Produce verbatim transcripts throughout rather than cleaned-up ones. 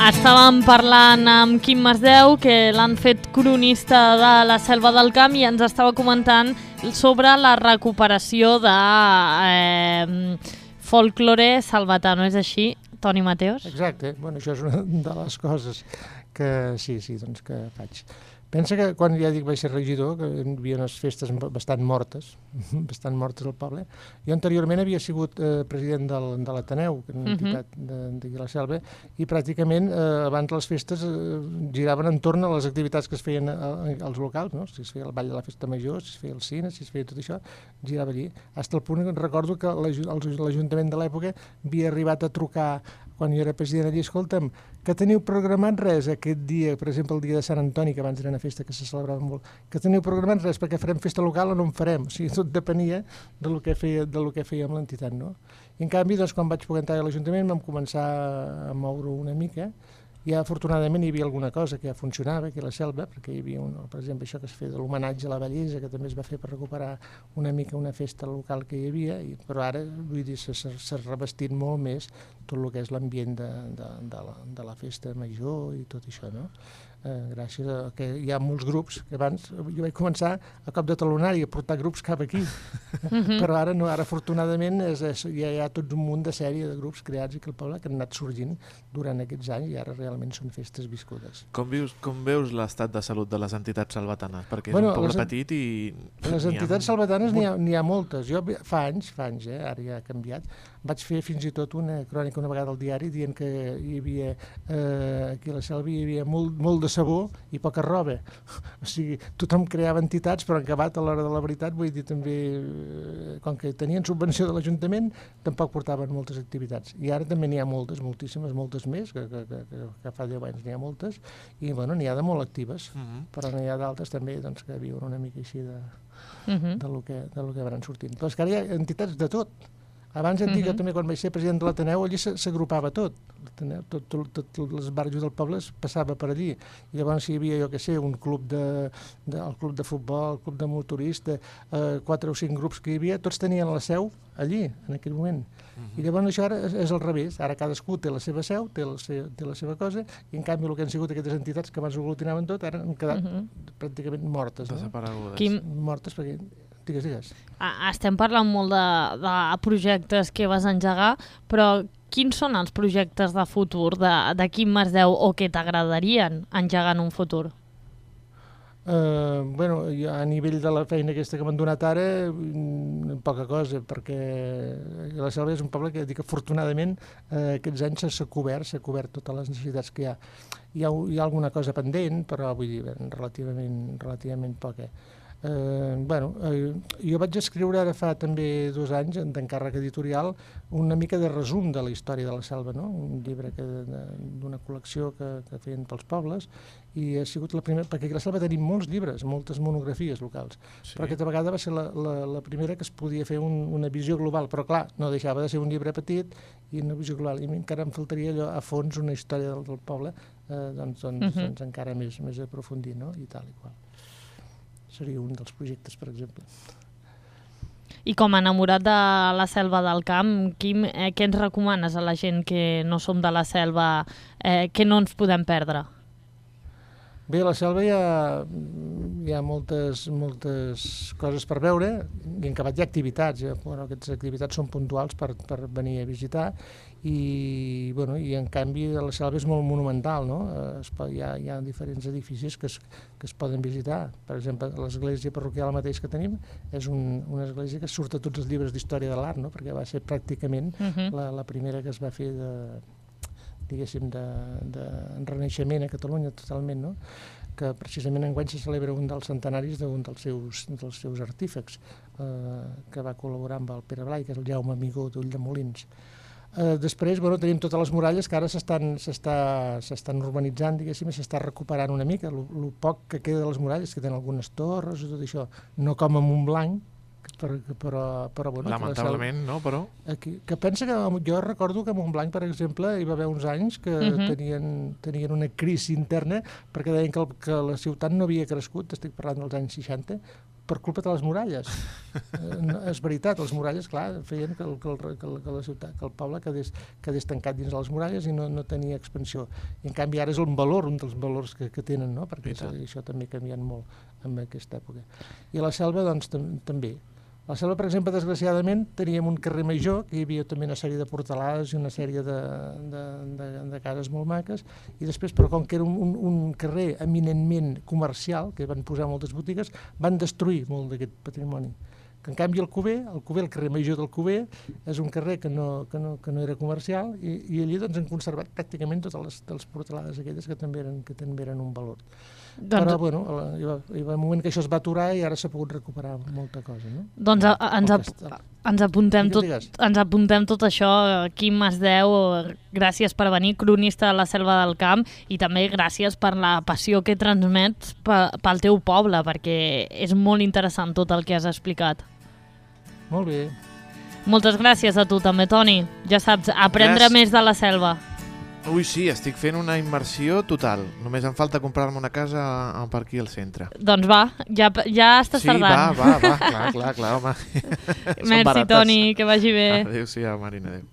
Estàvem parlant amb Quim Masdeu, que l'han fet cronista de la Selva del Camp, i ens estava comentant sobre la recuperació de eh, folklore salvatà, no és així, Toni Mateos? Exacte, bueno, això és una de les coses que sí, sí, doncs que faig. Pensa que quan ja dic vaig ser regidor, que hi havia unes festes bastant mortes, bastant mortes al poble. Jo anteriorment havia sigut eh, president del, de l'Ateneu, que és una entitat d'aquí a la Selva, i pràcticament eh, abans les festes eh, giraven entorn a les activitats que es feien a, a, als locals, no? Si es feia el ball de la festa major, si es feia el cine, si es feia tot això, girava allí. Fins al punt que recordo que l'Ajuntament de l'època havia arribat a trucar quan jo era president allí, escolta'm, que teniu programat res aquest dia, per exemple el dia de Sant Antoni, que abans era una festa que se celebrava molt, que teniu programat res perquè farem festa local o no en farem, o sigui, tot depenia del que feia, del que fèiem l'entitat, no? I en canvi, doncs, quan vaig poder entrar a l'Ajuntament vam començar a moure una mica. Ja afortunadament hi havia alguna cosa que ja funcionava aquí a la Selva, perquè hi havia, un, per exemple, això que es feia de l'homenatge a la bellesa, que també es va fer per recuperar una mica una festa local que hi havia, i, però ara, vull dir, s'ha revestit molt més tot el que és l'ambient de, de, de, la, de la festa major i tot això, no? Eh, gràcies a que hi ha molts grups, que abans jo vaig començar a cop de talonari a portar grups cap aquí, mm-hmm. però ara no, ara afortunadament és, és, ja hi ha tot un munt de sèrie de grups creats aquí al poble que han anat sorgint durant aquests anys i ara realment són festes viscudes. Com veus, com veus l'estat de salut de les entitats salvatanes? Perquè és bueno, un poble les, petit i... Les entitats ha... salvatanes n'hi ha, n'hi ha moltes. Jo fa anys, fa anys, eh, ara ja ha canviat, vaig fer fins i tot una crònica una vegada al diari dient que hi havia, eh, aquí a la Selva hi havia molt, molt de sabó i poca roba. O sigui, tothom creava entitats, però en acabat a l'hora de la veritat, vull dir, també, eh, com que tenien subvenció de l'Ajuntament, tampoc portaven moltes activitats. I ara també n'hi ha moltes, moltíssimes, moltes més, que, que, que, que fa deu anys n'hi ha moltes, i bueno, n'hi ha de molt actives, uh-huh. però n'hi ha d'altres també doncs, que viuen una mica així de, uh-huh. de, lo que, de lo que van sortint. Però és que ara hi ha entitats de tot. Abans et dic que uh-huh. també quan vaig ser president de l'Ateneu allí s'agrupava tot. Tots tot, tot, tot els barris del poble es passava per allí. I llavors hi havia, jo què sé, un club de, de, el club de futbol, el club de motorista, eh, quatre o cinc grups que hi havia, tots tenien la seu allí, en aquell moment. Uh-huh. I llavors això ara és, és al revés. Ara cadascú té la seva seu, té la, se, té la seva cosa, i en canvi el que han sigut aquestes entitats que abans ho aglutinaven tot, ara han quedat uh-huh. pràcticament mortes. Desaparegudes. No? Quim... Mortes perquè... Digues, digues. Estem parlant molt de, de projectes que vas engegar, però quins són els projectes de futur de, de Quim Masdeu o que t'agradarien engegar en un futur? Uh, bueno, a nivell de la feina aquesta que m'han donat ara, poca cosa, perquè la Selva és un poble que dic afortunadament eh, aquests anys s'ha cobert, s'ha cobert totes les necessitats que hi ha. Hi ha, hi ha alguna cosa pendent, però vull dir, relativament, relativament poca. Eh, bueno, eh, jo vaig escriure ara fa també dos anys d'encàrrec editorial una mica de resum de la història de la Selva, no? Un llibre que, d'una col·lecció que, que feien pels pobles, i ha sigut la primera, perquè a la Selva tenim molts llibres, moltes monografies locals, sí. Però aquesta vegada va ser la, la, la primera que es podia fer un, una visió global, però clar, no deixava de ser un llibre petit i una visió global, i encara em faltaria allò a fons una història del, del poble, eh, doncs, doncs, uh-huh. doncs encara més, més aprofundir, no? I tal i qual. Seria un dels projectes, per exemple. I com a enamorat de la Selva del Camp, Quim, eh, què ens recomanes a la gent que no som de la Selva, eh, que no ens podem perdre? Bé, a la Selva hi ha, hi ha moltes, moltes coses per veure, i en acabat hi ha activitats, eh? Bueno, aquestes activitats són puntuals per, per venir a visitar, i, bueno, i en canvi la Selva és molt monumental, no? Es, hi, ha, hi ha diferents edificis que es, que es poden visitar. Per exemple, l'església parroquial mateix que tenim és un, una església que surt a tots els llibres d'història de l'art, no? Perquè va ser pràcticament uh-huh. la, la primera que es va fer de... diguéssim, de, de renaixement a Catalunya totalment, no? Que precisament enguany se celebra un dels centenaris d'un dels seus, dels seus artífecs, eh, que va col·laborar amb el Pere Blai, que és el Jaume Amigó d'Ulldemolins. Eh, després, bueno, tenim totes les muralles que ara s'estan s'estan urbanitzant, diguéssim, i s'està recuperant una mica. El poc que queda de les muralles, que tenen algunes torres i tot això, no com a Montblanc, però, però, però bueno, lamentablement, no, però... Aquí, que pensa que jo recordo que a Montblanc, per exemple, hi va haver uns anys que uh-huh. tenien, tenien una crisi interna perquè deien que, el, que la ciutat no havia crescut, estic parlant dels anys seixanta, per culpa de les muralles. Eh, no, és veritat, les muralles, clar, feien que el, que el, que el, que la ciutat, que el poble quedés, quedés tancat dins de les muralles i no, no tenia expansió. I en canvi ara és un valor, un dels valors que, que tenen, no? Perquè sí, això també ha canviat molt en aquesta època. I a la selva, doncs, tam també. A la selva, per exemple, desgraciadament, teníem un carrer major, que hi havia també una sèrie de portalades i una sèrie de, de, de, de cases molt maques, i després, però com que era un, un, un carrer eminentment comercial, que van posar moltes botigues, van destruir molt d'aquest patrimoni. Que, en canvi, el Cuber, el Cuber, el carrer major del Cuber, és un carrer que no, que no, que no era comercial, i, i allí doncs, han conservat pràcticament totes les, les portalades aquelles que també eren, que també eren un valor. Doncs, però, bueno, hi va, hi va un moment que això es va aturar i ara s'ha pogut recuperar molta cosa, no? Doncs a, a, ens, a, ens, apuntem tot, ens apuntem tot això. Quim Masdeu, gràcies per venir, cronista de la Selva del Camp, i també gràcies per la passió que transmets pel teu poble, perquè és molt interessant tot el que has explicat. Molt bé. Moltes gràcies a tu també, Toni. Ja saps, aprendre gràcies. Més de la selva. Ui, sí, estic fent una immersió total. Només em falta comprar-me una casa per aquí al centre. Doncs va, ja, ja estàs sí, tardant. Sí, va, va, va, clar, clar, clar, home. Merci, Toni, que vagi bé. Adéu-siau, Marina, adéu.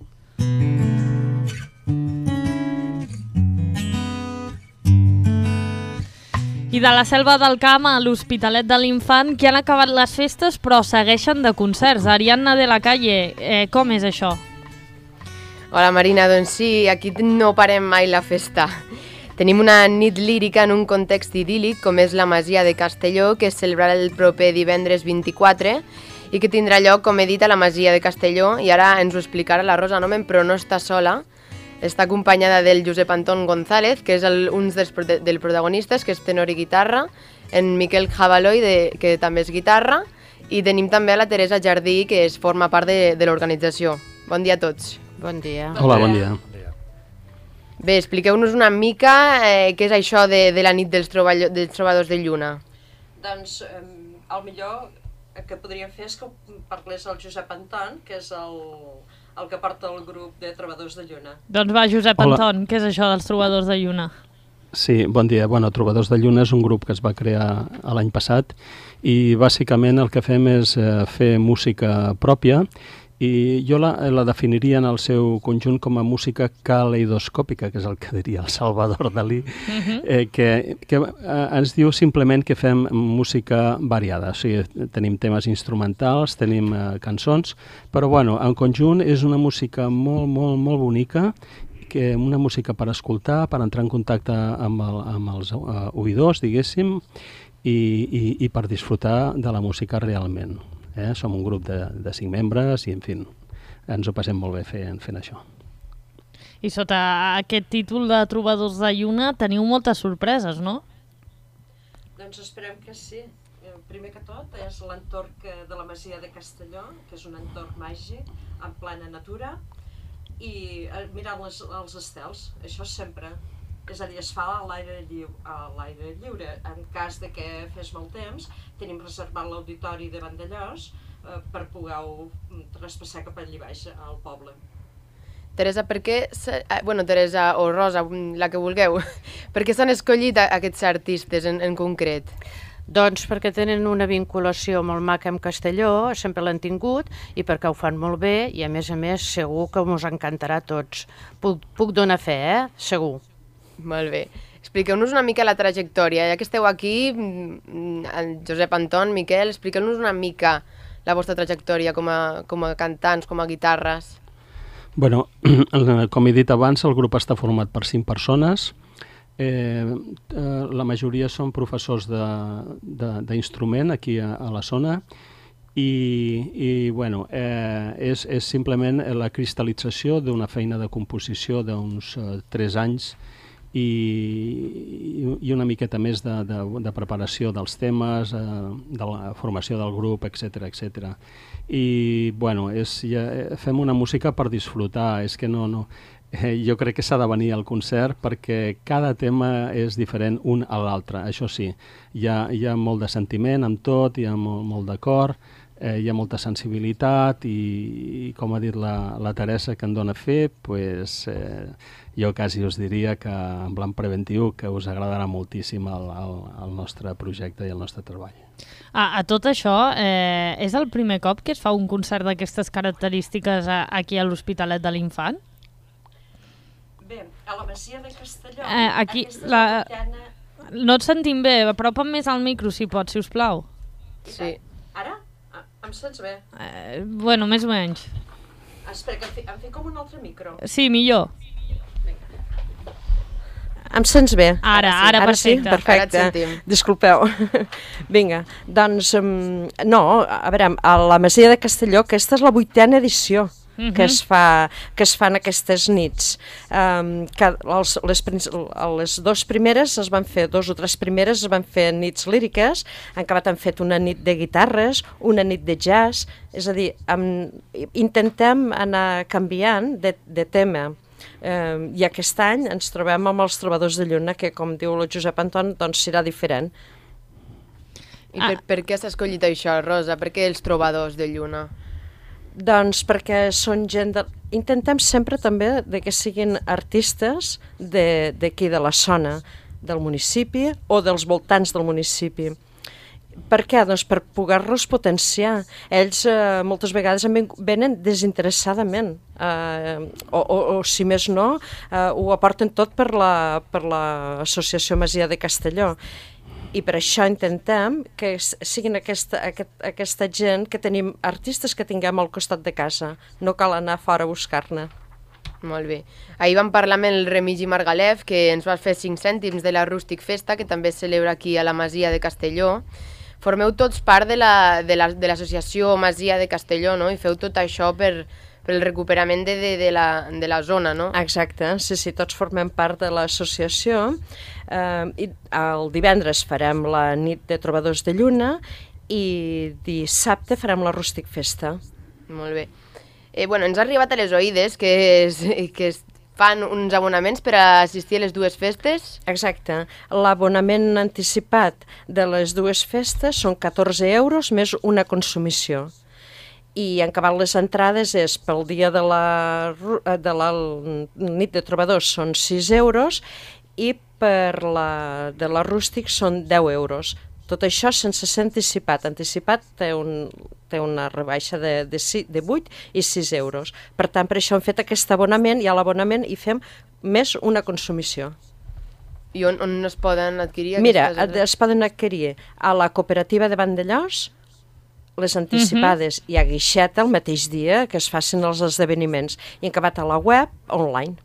I de la Selva del Camp a l'Hospitalet de l'Infant, que han acabat les festes però segueixen de concerts. Ariadna de la Calle, eh, com és això? Hola Marina, doncs sí, aquí no parem mai la festa. Tenim una nit lírica en un context idíl·lic com és la Masia de Castelló, que es celebrarà el proper divendres vint-i-quatre i que tindrà lloc, com he dit, a la Masia de Castelló, i ara ens ho explicarà la Rosa Nomen, però no està sola. Està acompanyada del Josep Anton González, que és el, un dels del protagonistes, que és tenor i guitarra, en Miquel Jabaloi, de, que també és guitarra, i tenim també a la Teresa Jardí, que es forma part de, de l'organització. Bon dia a tots. Bon dia. Hola, bon dia. Bé, expliqueu-nos una mica eh, què és això de, de la nit dels, dels trobadors de lluna. Doncs eh, el millor que podríem fer és que parlés el Josep Anton, que és el, el que porta el grup de trobadors de lluna. Doncs va, Josep Hola. Anton, què és això dels trobadors de lluna? Sí, bon dia. Bueno, Trobadors de Lluna és un grup que es va crear l'any passat i bàsicament el que fem és eh, fer música pròpia, i jo la, la definiria en el seu conjunt com a música caleidoscòpica, que és el que diria el Salvador Dalí, uh-huh. eh, que, que eh, ens diu simplement que fem música variada. O sigui, tenim temes instrumentals, tenim eh, cançons, però bueno, en conjunt és una música molt, molt, molt bonica, que una música per escoltar, per entrar en contacte amb, el, amb els uh, oïdors, diguéssim, i, i, i per disfrutar de la música realment. Eh? Som un grup de, de cinc membres i, en fi, ens ho passem molt bé fent, fent això. I sota aquest títol de Trobadors de Lluna teniu moltes sorpreses, no? Doncs esperem que sí. Primer que tot és l'entorn de la Masia de Castelló, que és un entorn màgic, en plena natura, i mirant les, els estels, això sempre. És a dir, es fa a l'aire lliure, a l'aire lliure. En cas de que fes molt temps, tenim reservat l'auditori de Vandellós eh, per poder-ho traspassar cap allà baix, al poble. Teresa, per què, bueno, Teresa o Rosa, la que vulgueu, per què s'han escollit aquests artistes en, en concret? Doncs perquè tenen una vinculació molt maca amb Castelló, sempre l'han tingut, i perquè ho fan molt bé, i a més a més segur que us encantarà a tots. Puc, puc donar fe, eh? Segur. Molt bé. Expliqueu-nos una mica la trajectòria. Ja que esteu aquí, el Josep Anton, Miquel, expliqueu-nos una mica la vostra trajectòria com a, com a cantants, com a guitarres. Bueno, com he dit abans, el grup està format per cinc persones. Eh, eh, la majoria són professors d'instrument aquí a, a la zona i, i bueno, eh, és, és simplement la cristal·lització d'una feina de composició d'uns eh, tres anys i, i una miqueta més de, de, de preparació dels temes, eh, de la formació del grup, etcètera, etcètera. I bueno, és, ja, fem una música per disfrutar, és que no, no, eh, jo crec que s'ha de venir al concert perquè cada tema és diferent un a l'altre, això sí, hi ha, hi ha molt de sentiment amb tot, hi ha molt, molt de cor, eh, hi ha molta sensibilitat i, i com ha dit la, la Teresa que en dona fe, pues, eh, jo quasi us diria que en plan preventiu que us agradarà moltíssim el, el, el nostre projecte i el nostre treball. A, a tot això, eh, és el primer cop que es fa un concert d'aquestes característiques a, aquí a l'Hospitalet de l'Infant? Bé, a la Masia de Castelló... Eh, aquí, la... vuitena... No et sentim bé, apropa'n més al micro, si pots, si us plau. Sí. Ara? Ah, em sents bé? Eh, bueno, més o menys. Ah, espera, que em, fi, em fico com un altre micro. Sí, millor. Em sents bé? Ara, ara, ara perfecte. Sí? Perfecte. Ara et sentim. Disculpeu. Vinga, doncs, um, no, a veure, a la Masia de Castelló, aquesta és la vuitena edició Uh-huh. que es fa, que es fan aquestes nits. Um, que els, les, les dues primeres es van fer, dos o tres primeres es van fer nits líriques, han acabat han fet una nit de guitarres, una nit de jazz, és a dir, um, intentem anar canviant de, de tema. Um, I aquest any ens trobem amb els Trobadors de Lluna, que com diu el Josep Anton, doncs serà diferent. I per, ah. per què has escollit això, Rosa? Per què els Trobadors de Lluna? Doncs perquè són gent... De... Intentem sempre també de que siguin artistes d'aquí, de, de la zona, del municipi o dels voltants del municipi. Per què? Doncs per poder-los potenciar. Ells eh, moltes vegades venen desinteressadament, eh, o, o, o si més no, eh, ho aporten tot per la, per l'Associació Masia de Castelló. I per això intentem que siguin aquesta, aquest, aquesta gent, que tenim artistes que tinguem al costat de casa. No cal anar fora a buscar-ne. Molt bé. Ahir vam parlar amb el Remigi Margalef, que ens va fer cinc cèntims de la Rústic Festa, que també es celebra aquí a la Masia de Castelló. Formeu tots part de l'associació Masia de Castelló, no? I feu tot això per... per el recuperament de, de, de, la, de la zona, no? Exacte, sí, sí, tots formem part de l'associació. Eh, i el divendres farem la nit de Trobadors de Lluna i dissabte farem la Rústic Festa. Molt bé. Eh, bueno, ens ha arribat a les oïdes que, es, que es fan uns abonaments per a assistir a les dues festes. Exacte. L'abonament anticipat de les dues festes són catorze euros més una consumició. I en acabat les entrades és pel dia de la, de la nit de Trobadors són sis euros i per la de la Rústic són deu euros. Tot això sense ser anticipat. Anticipat té, un, té una rebaixa de, de, de vuit i sis euros. Per tant, per això hem fet aquest abonament i a l'abonament hi fem més una consumició. I on, on es poden adquirir? Mira, es poden adquirir a la cooperativa de Vandellós, les anticipades, uh-huh. i a Guixeta el mateix dia que es facin els esdeveniments, i han acabat a la web online.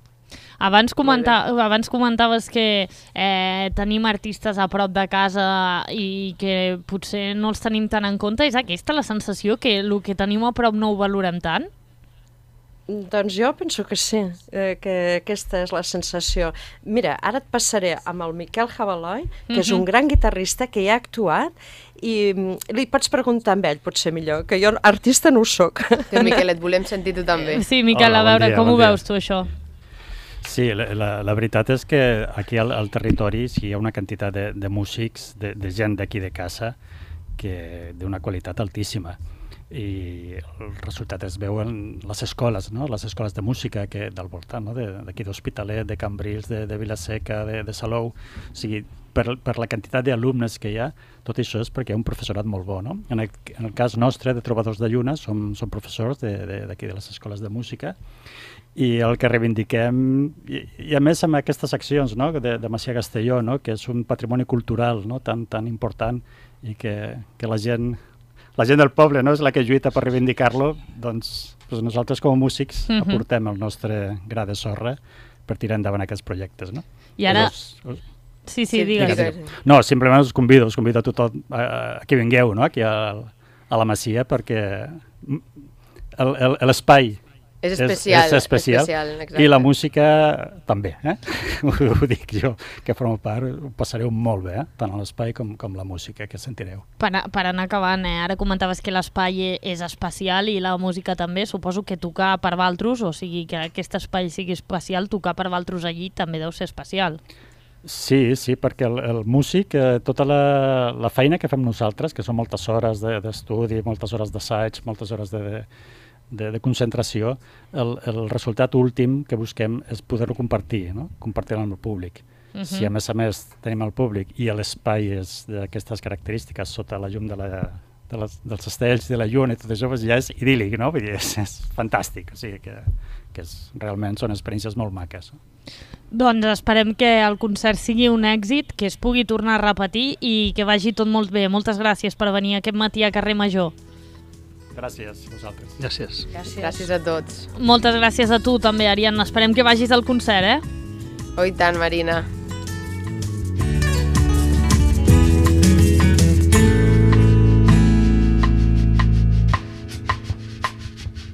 Abans, comenta, abans comentaves que eh, tenim artistes a prop de casa i que potser no els tenim tant en compte. És aquesta la sensació, que el que tenim a prop no ho valorem tant? Doncs jo penso que sí, eh, que aquesta és la sensació. Mira, ara et passaré amb el Miquel Jabaloi, que uh-huh. és un gran guitarrista que hi ha actuat, i li pots preguntar amb ell, potser millor, que jo artista no ho soc. Que Miquel, et volem sentir tu també. Sí, Miquel, Hola, a veure, bon dia, com bon ho dia. veus tu, això? Sí, la, la, la veritat és que aquí al, al territori sí, hi ha una quantitat de, de músics, de, de gent d'aquí de casa, que d'una qualitat altíssima. I el resultat es veu en les escoles, no? Les escoles de música que, del voltant, no? D'aquí d'Hospitalet, de Cambrils, de, de Vilaseca, de, de Salou. O sigui, per, per la quantitat d'alumnes que hi ha, tot això és perquè hi ha un professorat molt bo, no? En el, en el cas nostre, de Trobadors de Lluna, som, som professors d'aquí de, de, de les escoles de música, i el que reivindiquem, i, i a més amb aquestes accions, no? de, de Masia Castelló, no? Que és un patrimoni cultural, no? tan, tan important, i que, que la gent... La gent del poble, no?, és la que lluita per reivindicar-lo, doncs, doncs nosaltres com a músics uh-huh. aportem el nostre gra de sorra per tirar endavant aquests projectes, no? I ara... Us, us... Sí, sí, digues. digues. No, simplement us convido, us convido a tothom a, a que vingueu, no?, aquí a, a la Masia, perquè l'espai és especial, és, és especial, especial i la música també, eh? ho, ho dic jo, que formo part, ho passareu molt bé, eh? Tant a l'espai com, com la música que sentireu. Per, a, per anar acabant, eh? Ara comentaves que l'espai és especial i la música també, suposo que tocar per valtros, o sigui que aquest espai sigui especial, tocar per valtros allí també deu ser especial. Sí, sí, perquè el, el músic, eh, tota la, la feina que fem nosaltres, que són moltes hores d'estudi, de, moltes hores d'assaig, moltes hores de, de, de concentració, el, el resultat últim que busquem és poder-ho compartir, no? Compartir-ho amb el públic. Uh-huh. Si a més a més tenim el públic i l'espai és d'aquestes característiques sota la llum de la, de les, dels estells, de la lluna i tot això, doncs ja és idíl·lic, no? Vull dir, és, és fantàstic, o sigui que, que és, realment són experiències molt maques. No? Doncs esperem que el concert sigui un èxit, que es pugui tornar a repetir i que vagi tot molt bé. Moltes gràcies per venir aquest matí a Carrer Major. Gràcies a vosaltres. Gràcies. Gràcies. Gràcies a tots. Moltes gràcies a tu també, Ariadna. Esperem que vagis al concert, eh? Oh, i tant, Marina.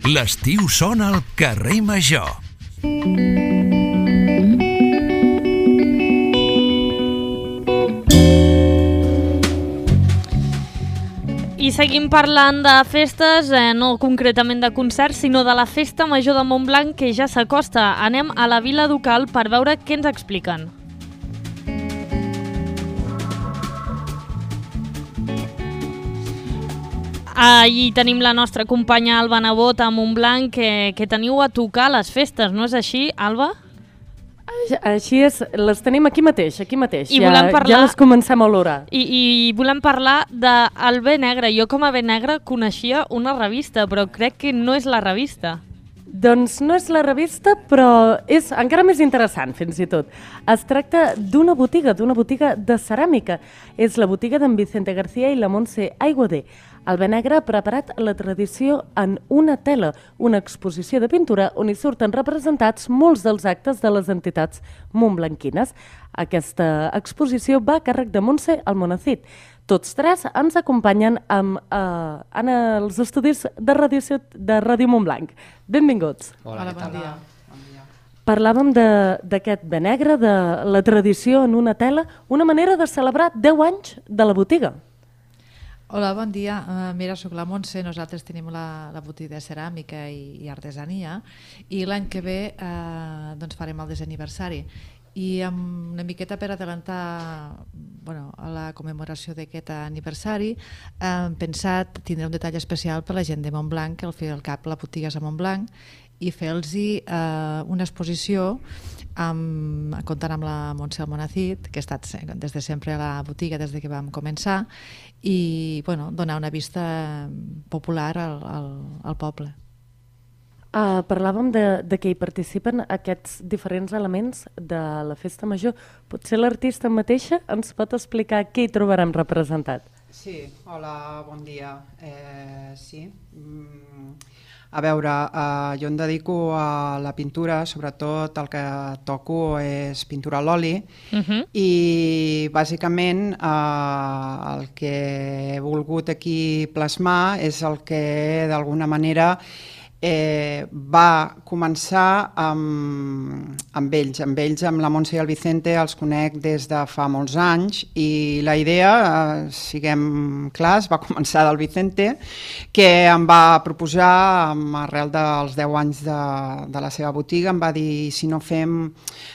L'estiu sona al Carrer Major. I seguim parlant de festes, eh, no concretament de concerts, sinó de la Festa Major de Montblanc, que ja s'acosta. Anem a la Vila Ducal per veure què ens expliquen. Ahí tenim la nostra companya Alba Nebot a Montblanc, que, que teniu a tocar les festes, no és així, Alba? Així és, les tenim aquí mateix, aquí mateix. I ja, volem parlar, ja les comencem a olorar. I, I volem parlar del Bé Negre. Jo com a Bé Negre coneixia una revista, però crec que no és la revista. Doncs no és la revista, però és encara més interessant, fins i tot. Es tracta d'una botiga, d'una botiga de ceràmica. És la botiga d'en Vicente García i la Montse Aiguader. El Bé Negre ha preparat la tradició en una tela, una exposició de pintura on hi surten representats molts dels actes de les entitats montblanquines. Aquesta exposició va a càrrec de Montse Almonacid. Tots tres ens acompanyen amb, eh, en els estudis de Ràdio, de Ràdio Montblanc. Benvinguts. Hola, Hola bon dia. Parlàvem d'aquest Bé Negre, de la tradició en una tela, una manera de celebrar deu anys de la botiga. Hola, bon dia. Uh, mira, soc la Montse, nosaltres tenim la, la botiga de ceràmica i, i artesania i l'any que ve uh, doncs farem el desaniversari. I amb una miqueta per adelantar bueno, a la commemoració d'aquest aniversari hem pensat tindre un detall especial per la gent de Montblanc, que al fi i al cap la botiga és a Montblanc, i fer-los eh, una exposició amb, comptant amb la Montse Almonacid, que ha estat des de sempre a la botiga des de que vam començar, i bueno, donar una vista popular al, al, al poble. Uh, parlàvem de, de que hi participen aquests diferents elements de la Festa Major. Potser l'artista mateixa ens pot explicar què hi trobarem representat? Sí, hola, bon dia. Eh, sí, mm, a veure, eh, jo em dedico a la pintura, sobretot el que toco és pintura a l'oli, uh-huh. i bàsicament eh, el que he volgut aquí plasmar és el que d'alguna manera Eh, va començar amb, amb ells, amb ells, amb la Montse i el Vicente, els conec des de fa molts anys i la idea, eh, siguem clars, va començar del Vicente, que em va proposar, amb arrel dels deu anys de, de la seva botiga, em va dir si no fem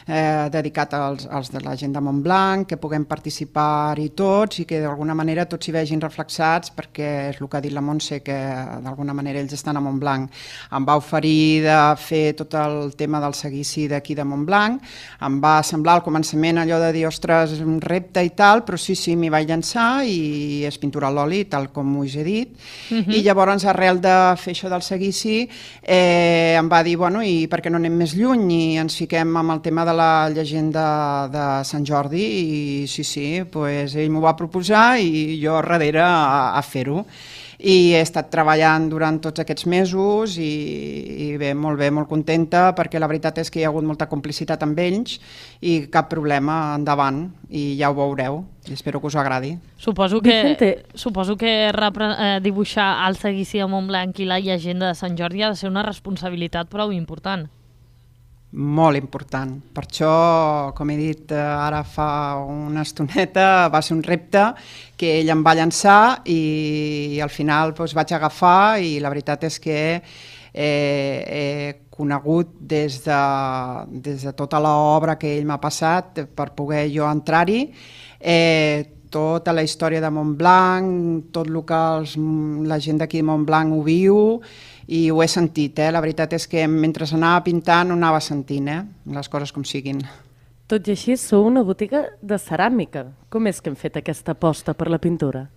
eh, dedicat als, als de la gent de Montblanc, que puguem participar-hi tots i que d'alguna manera tots hi vegin reflexats, perquè és el que ha dit la Montse, que d'alguna manera ells estan a Montblanc. Em va oferir de fer tot el tema del seguici d'aquí de Montblanc, em va semblar al començament allò de dir, ostres, un repte i tal, però sí, sí, m'hi vaig llançar i és pintura a l'oli, tal com us he dit, uh-huh. i llavors arrel de fer això del seguici eh, em va dir, bueno, i per què no anem més lluny i ens fiquem amb el tema de la llegenda de Sant Jordi i sí, sí, pues ell m'ho va proposar i jo darrere a, a fer-ho. I he estat treballant durant tots aquests mesos i, i bé, molt bé, molt contenta, perquè la veritat és que hi ha hagut molta complicitat amb ells i cap problema, endavant, i ja ho veureu, i espero que us agradi. Suposo que, suposo que repre, eh, dibuixar el seguici de Montblanc i la llegenda de Sant Jordi ha de ser una responsabilitat prou important. Molt important. Per això, com he dit ara fa una estoneta, va ser un repte que ell em va llançar i al final doncs, vaig agafar i la veritat és que eh, he conegut des de, des de tota l'obra que ell m'ha passat per poder jo entrar-hi, eh, tota la història de Montblanc, tot el que els, la gent d'aquí de Montblanc ho viu, i ho he sentit, eh? La veritat és que mentre anava pintant ho anava sentint, eh? Les coses com siguin. Tot i així, sou una botiga de ceràmica. Com és que hem fet aquesta aposta per la pintura?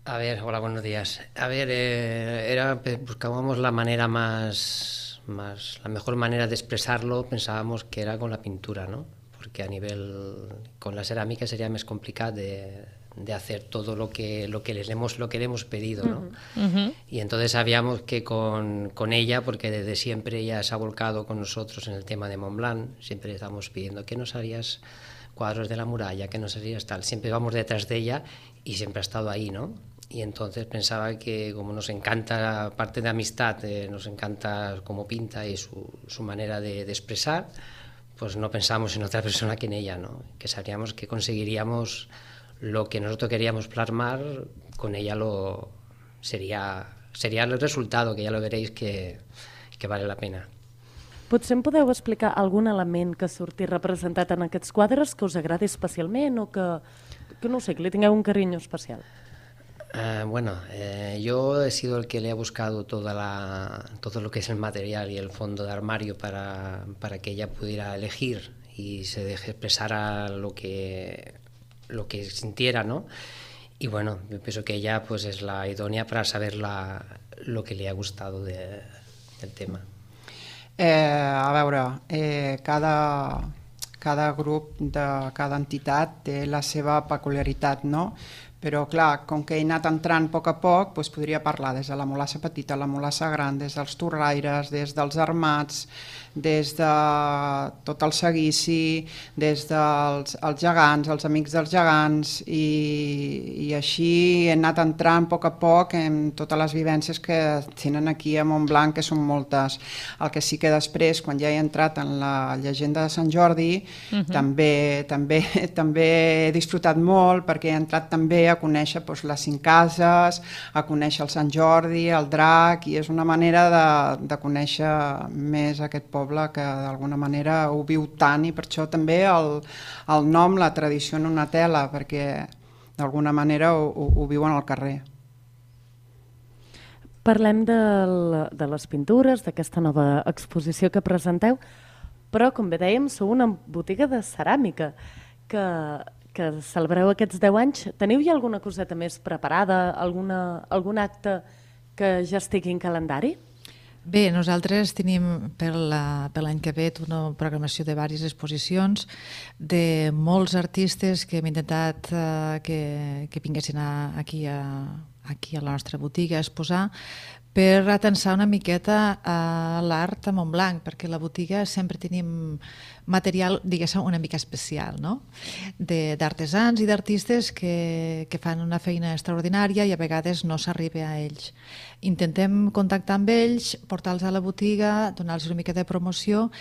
A ver, hola, buenos días. A ver, eh, era, buscábamos la manera más, más, la mejor manera de expresarlo, pensábamos que era con la pintura, ¿no? Porque a nivel, con la cerámica sería más complicado de, de hacer todo lo que, lo que les hemos, lo que le hemos pedido, ¿no? Uh-huh. Y entonces sabíamos que con, con ella, porque desde siempre ella se ha volcado con nosotros en el tema de Montblanc, siempre estamos pidiendo que nos harías cuadros de la muralla, que nos harías tal, siempre vamos detrás de ella y siempre ha estado ahí, ¿no? Y entonces pensaba que como nos encanta, aparte de amistad, eh, nos encanta cómo pinta y su, su manera de, de expresar, pues no pensamos en otra persona que en ella, ¿no? Que sabríamos que conseguiríamos lo que nosotros queríamos plasmar, con ella lo sería, sería el resultado, que ya lo veréis que, que vale la pena. Potser em podeu explicar algun element que surti representat en aquests quadres que us agradi especialment o que, que no sé, que li tingueu un carinyo especial? Uh, bueno, eh, yo he sido el que le ha buscado toda la, todo lo que es el material y el fondo de armario para, para que ella pudiera elegir y se deje expresar lo que, lo que sintiera, ¿no? Y bueno, yo pienso que ella pues es la idónea para saber la, lo que le ha gustado de, del tema. Eh, a veure, eh, cada, cada grup de cada entitat té la seva peculiaritat, no? Però clar, com que he anat entrant a poc a poc, doncs podria parlar des de la Molassa petita, la Molassa gran, des dels torraires, des dels armats, des de tot el seguici, des dels els gegants, els amics dels gegants, i, i així he anat entrant a poc a poc en totes les vivències que tenen aquí a Montblanc, que són moltes. El que sí que després, quan ja he entrat en la llegenda de Sant Jordi, uh-huh. també, també, també he disfrutat molt, perquè he entrat també a conèixer doncs, les cinc cases, a conèixer el Sant Jordi, el drac, i és una manera de, de conèixer més aquest poble que d'alguna manera ho viu tant, i per això també el, el nom, la tradició en una tela, perquè d'alguna manera ho, ho, ho viuen al carrer. Parlem del, de les pintures, d'aquesta nova exposició que presenteu, però com bé dèiem, sou una botiga de ceràmica que... que celebreu aquests deu anys. Teniu ja alguna coseta més preparada, alguna, algun acte que ja estigui en calendari? Bé, nosaltres tenim per l'any que ve una programació de diverses exposicions de molts artistes que hem intentat eh, que, que vinguessin a, aquí, a, aquí a la nostra botiga a exposar, per atensar una miqueta a l'art a Montblanc, perquè a la botiga sempre tenim material, diguéssim, una mica especial, no? D'artesans i d'artistes que, que fan una feina extraordinària i a vegades no s'arriba a ells. Intentem contactar amb ells, portar-los a la botiga, donar-los una mica de promoció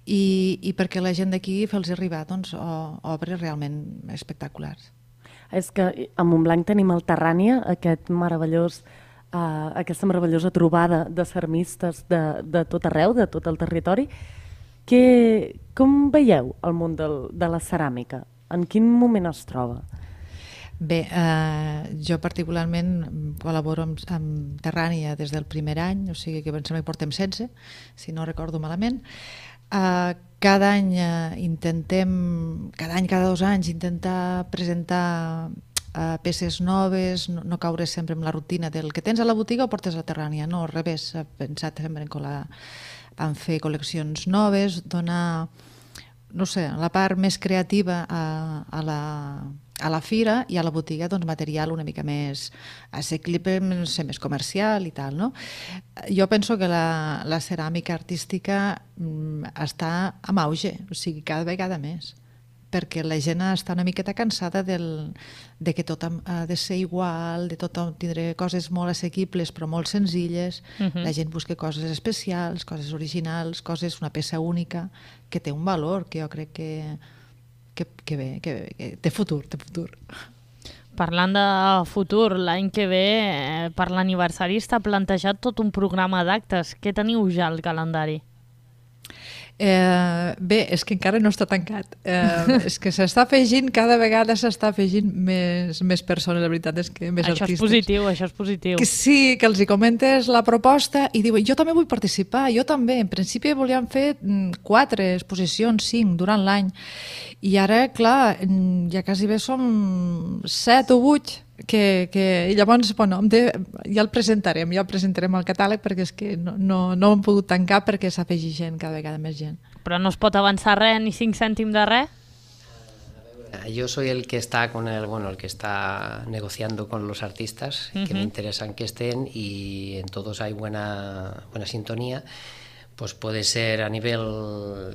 i, i perquè la gent d'aquí fer-los arribar doncs, obres realment espectaculars. És que a Montblanc tenim el Terrània, aquest meravellós Uh, aquesta meravellosa trobada de ceramistes de, de tot arreu, de tot el territori. Que, com veieu el món del, de la ceràmica? En quin moment es troba? Bé, eh, jo particularment col·laboro amb, amb Terrània des del primer any, o sigui que pensem que portem setze, si no recordo malament. Uh, cada any uh, intentem, cada any, cada dos anys, intentar presentar Uh, peces noves, no, no caure sempre en la rutina del que tens a la botiga o portes a la Terrània, no, al revés, he pensat sempre en, cola, en fer col·leccions noves, donar, no sé, la part més creativa a, a, la, a la fira, i a la botiga doncs, material una mica més assequible, no sé, més comercial i tal, no? Jo penso que la, la ceràmica artística mm, està en auge, o sigui, cada vegada més, perquè la gent està una miqueta cansada del, de que tot ha de ser igual, de tot tindre coses molt assequibles però molt senzilles. Uh-huh. La gent busca coses especials, coses originals, coses, una peça única, que té un valor que jo crec que, que, que, bé, que, que té futur, té futur. Parlant de futur, l'any que ve, eh, per l'aniversari, està plantejat tot un programa d'actes. Què teniu ja al calendari? Eh, bé, és que encara no està tancat. Eh, és que s'està afegint, cada vegada s'està afegint més, més persones, la veritat és que més això artistes. Això és positiu, això és positiu. Que sí, que els hi comentes la proposta i diuen, jo també vull participar, jo també. En principi volíem fer quatre exposicions, cinc, durant l'any. I ara, clar, ja quasi bé som set o vuit que, que i llavors, bueno, de, ja el presentarem, ja el presentarem al catàleg perquè és que no, no, no hem pogut tancar perquè s'afegeix gent, cada vegada més gent. Però no es pot avançar res, ni cinc cèntims de res? Yo soy el que está con el, bueno, el que está negociando con los artistas, uh-huh. que me interesan que estén y en todos hay buena, buena sintonía. Pues puede ser a nivel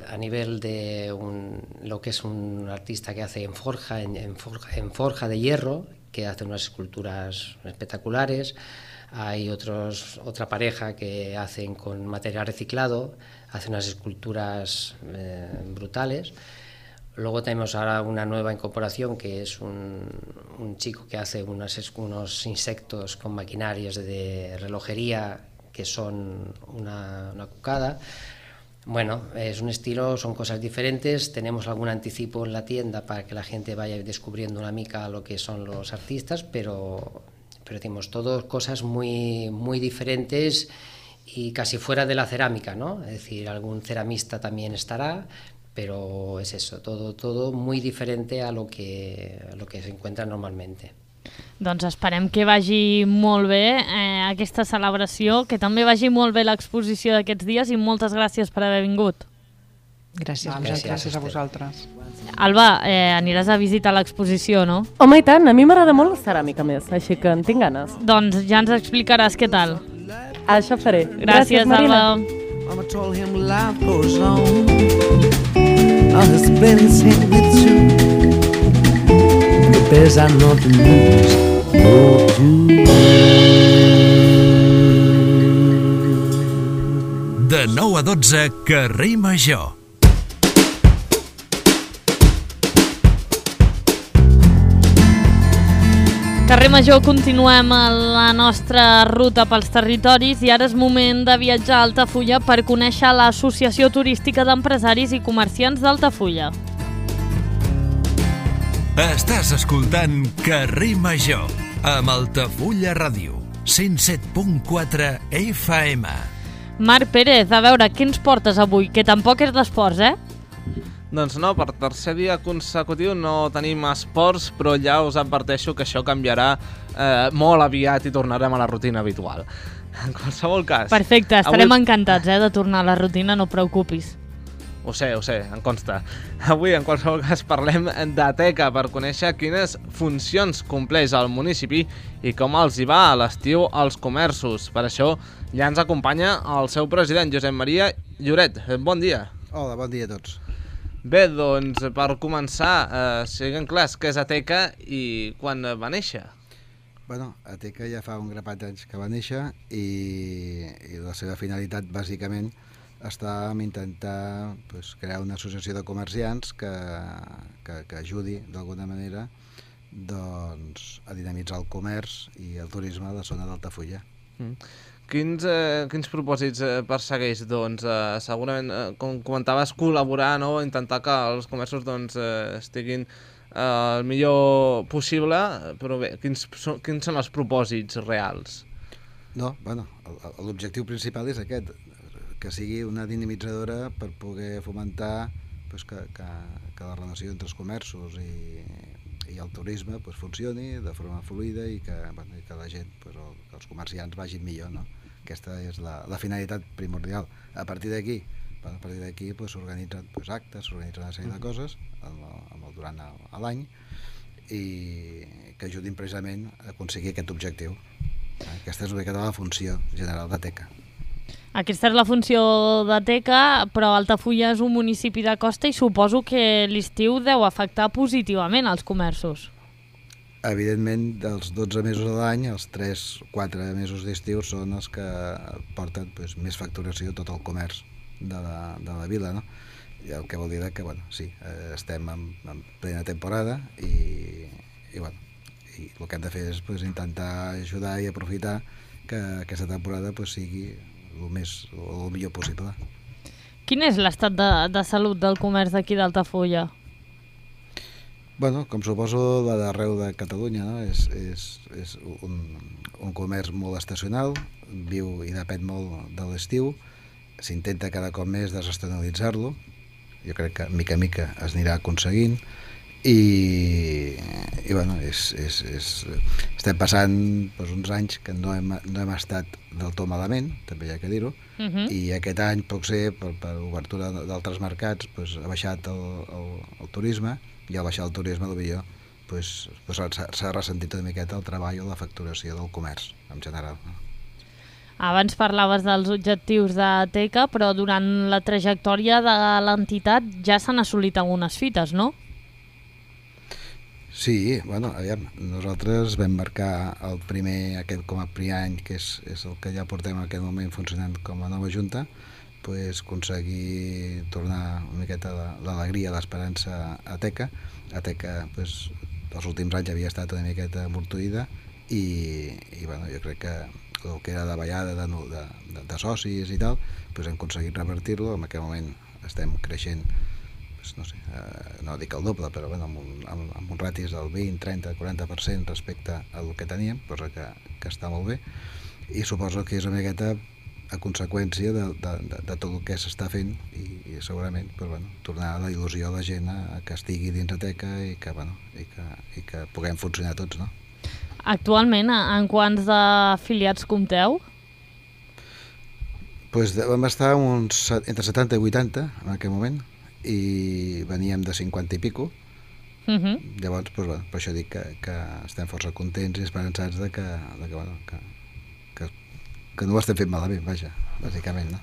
a nivel de un, lo que es un artista que hace en forja, en, en forja, en forja de hierro, que hace unas esculturas espectaculares. Hay otros, otra pareja que hacen con material reciclado, hace unas esculturas eh, brutales. Luego tenemos ahora una nueva incorporación que es un, un chico que hace unas, unos insectos con maquinarias de relojería que son una, una cucada. Bueno, es un estilo, son cosas diferentes. Tenemos algún anticipo en la tienda para que la gente vaya descubriendo una mica lo que son los artistas, pero, pero decimos, todas cosas muy, muy diferentes y casi fuera de la cerámica, ¿no? Es decir, algún ceramista también estará, pero es eso, todo, todo muy diferente a lo que, a lo que se encuentra normalmente. Doncs esperem que vagi molt bé eh, aquesta celebració, que també vagi molt bé l'exposició d'aquests dies i moltes gràcies per haver vingut. Gràcies, ah, gràcies, gràcies a vosaltres. Alba, eh, aniràs a visitar l'exposició, no? Home, i tant, a mi m'agrada molt la ceràmica més, així que en tinc ganes. Doncs ja ens explicaràs què tal. Això faré. Gràcies, gràcies Marina. Alba. Mama told him life goes on. All his feelings hang with you. The bears are not the news, no you. De nou a dotze, Carrer Major. Carrer Major, continuem a la nostra ruta pels territoris i ara és moment de viatjar a Altafulla per conèixer l'Associació Turística d'Empresaris i Comerciants d'Altafulla. Estàs escoltant Carrer Major amb Altafulla Ràdio, cent set punt quatre F M. Marc Pérez, a veure, què ens portes avui? Que tampoc és d'esports, eh? Doncs no, per tercer dia consecutiu no tenim esports, però ja us adverteixo que això canviarà eh, molt aviat i tornarem a la rutina habitual. En qualsevol cas... Perfecte, estarem avui... encantats eh, de tornar a la rutina, no preocupis. Ho sé, ho sé, em consta. Avui, en qualsevol cas, parlem de teca per conèixer quines funcions compleix el municipi i com els hi va a l'estiu als comerços. Per això ja ens acompanya el seu president, Josep Maria Lloret. Bon dia. Hola, bon dia a tots. Bé, doncs, per començar, eh, siguem clars què és Ateca i quan va néixer. Bueno, Ateca ja fa un grapat d'anys que va néixer i, i la seva finalitat, bàsicament, està en intentar pues, crear una associació de comerciants que, que, que ajudi, d'alguna manera, doncs, a dinamitzar el comerç i el turisme a la zona d'Altafulla. Mm. Quins, eh, quins propòsits eh, persegueix? Doncs, eh, segurament, eh, com comentaves, col·laborar, no? Intentar que els comerços doncs, eh, estiguin eh, el millor possible, però bé, quins, quins són els propòsits reals? No, bueno, l'objectiu principal és aquest, que sigui una dinamitzadora per poder fomentar pues, que, que, que la relació entre els comerços i, i el turisme pues, funcioni de forma fluida i que, bueno, i que la gent, pues, el, que els comerciants vagin millor, no? Aquesta és la, la finalitat primordial. A partir d'aquí, a partir d'aquí pues, s'organitzen pues, actes, s'organitzen una sèrie de coses amb el, amb el, durant l'any i que ajudin precisament a aconseguir aquest objectiu. Aquesta és una mica la funció general d'Ateca. Aquesta és la funció d'Ateca, però Altafulla és un municipi de costa i suposo que l'estiu deu afectar positivament als comerços. Evidentment, dels dotze mesos de l'any, els tres quatre mesos d'estiu són els que porten pues, més facturació tot el comerç de la, de la vila, no? I el que vol dir que, bueno, sí, estem en, en plena temporada i, i, bueno, i el que hem de fer és pues, intentar ajudar i aprofitar que aquesta temporada pues, sigui el, més, el millor possible. Quin és l'estat de, de salut del comerç d'aquí d'Altafulla? Bueno, com suposo la d'arreu de Catalunya, no? és, és, és un, un comerç molt estacional, viu i depèn molt de l'estiu, s'intenta cada cop més desestacionalitzar-lo, jo crec que mica a mica es anirà aconseguint, i, i bueno, és, és, és, estem passant doncs, uns anys que no hem, no hem estat del tot malament, també hi ha que dir-ho, Uh-huh. i aquest any potser per, per obertura d'altres mercats pues, ha baixat el, el, el turisme, i al baixar el turisme potser pues, pues, s'ha ressentit una miqueta el treball o la facturació del comerç en general. Abans parlaves dels objectius de Teca, però durant la trajectòria de l'entitat ja s'han assolit algunes fites, no? Sí, bueno, aviam, nosaltres vam marcar el primer, aquest com a primer any, que és, és el que ja portem en aquest moment funcionant com a nova junta, pues, aconseguir tornar una miqueta l'alegria, l'esperança a Teca. A Teca, pues, els últims anys havia estat una miqueta amortuïda i, i bueno, jo crec que el que era de ballada de, de, de, de socis i tal, pues, hem aconseguit revertir-lo. En aquest moment estem creixent, no sé, eh, no dic el doble, però bueno, amb, un, amb, amb un ratis del vint, trenta, quaranta per cent respecte al que teníem, cosa que, que està molt bé, i suposo que és una miqueta a conseqüència de, de, de, de tot el que s'està fent i, i segurament pues, bueno, tornar la il·lusió a la gent a, a que estigui dins de Teca i que, bueno, i que, i que puguem funcionar tots, no? Actualment, en quants d'afiliats compteu? Pues vam estar uns, entre setanta i vuitanta en aquell moment, i veníem de cinquanta i pico. Uh-huh. Llavors, pues, bueno, per això dic que, que estem força contents i esperançats de que, de que, bueno, que, que, que no ho estem fent malament, vaja, bàsicament, no?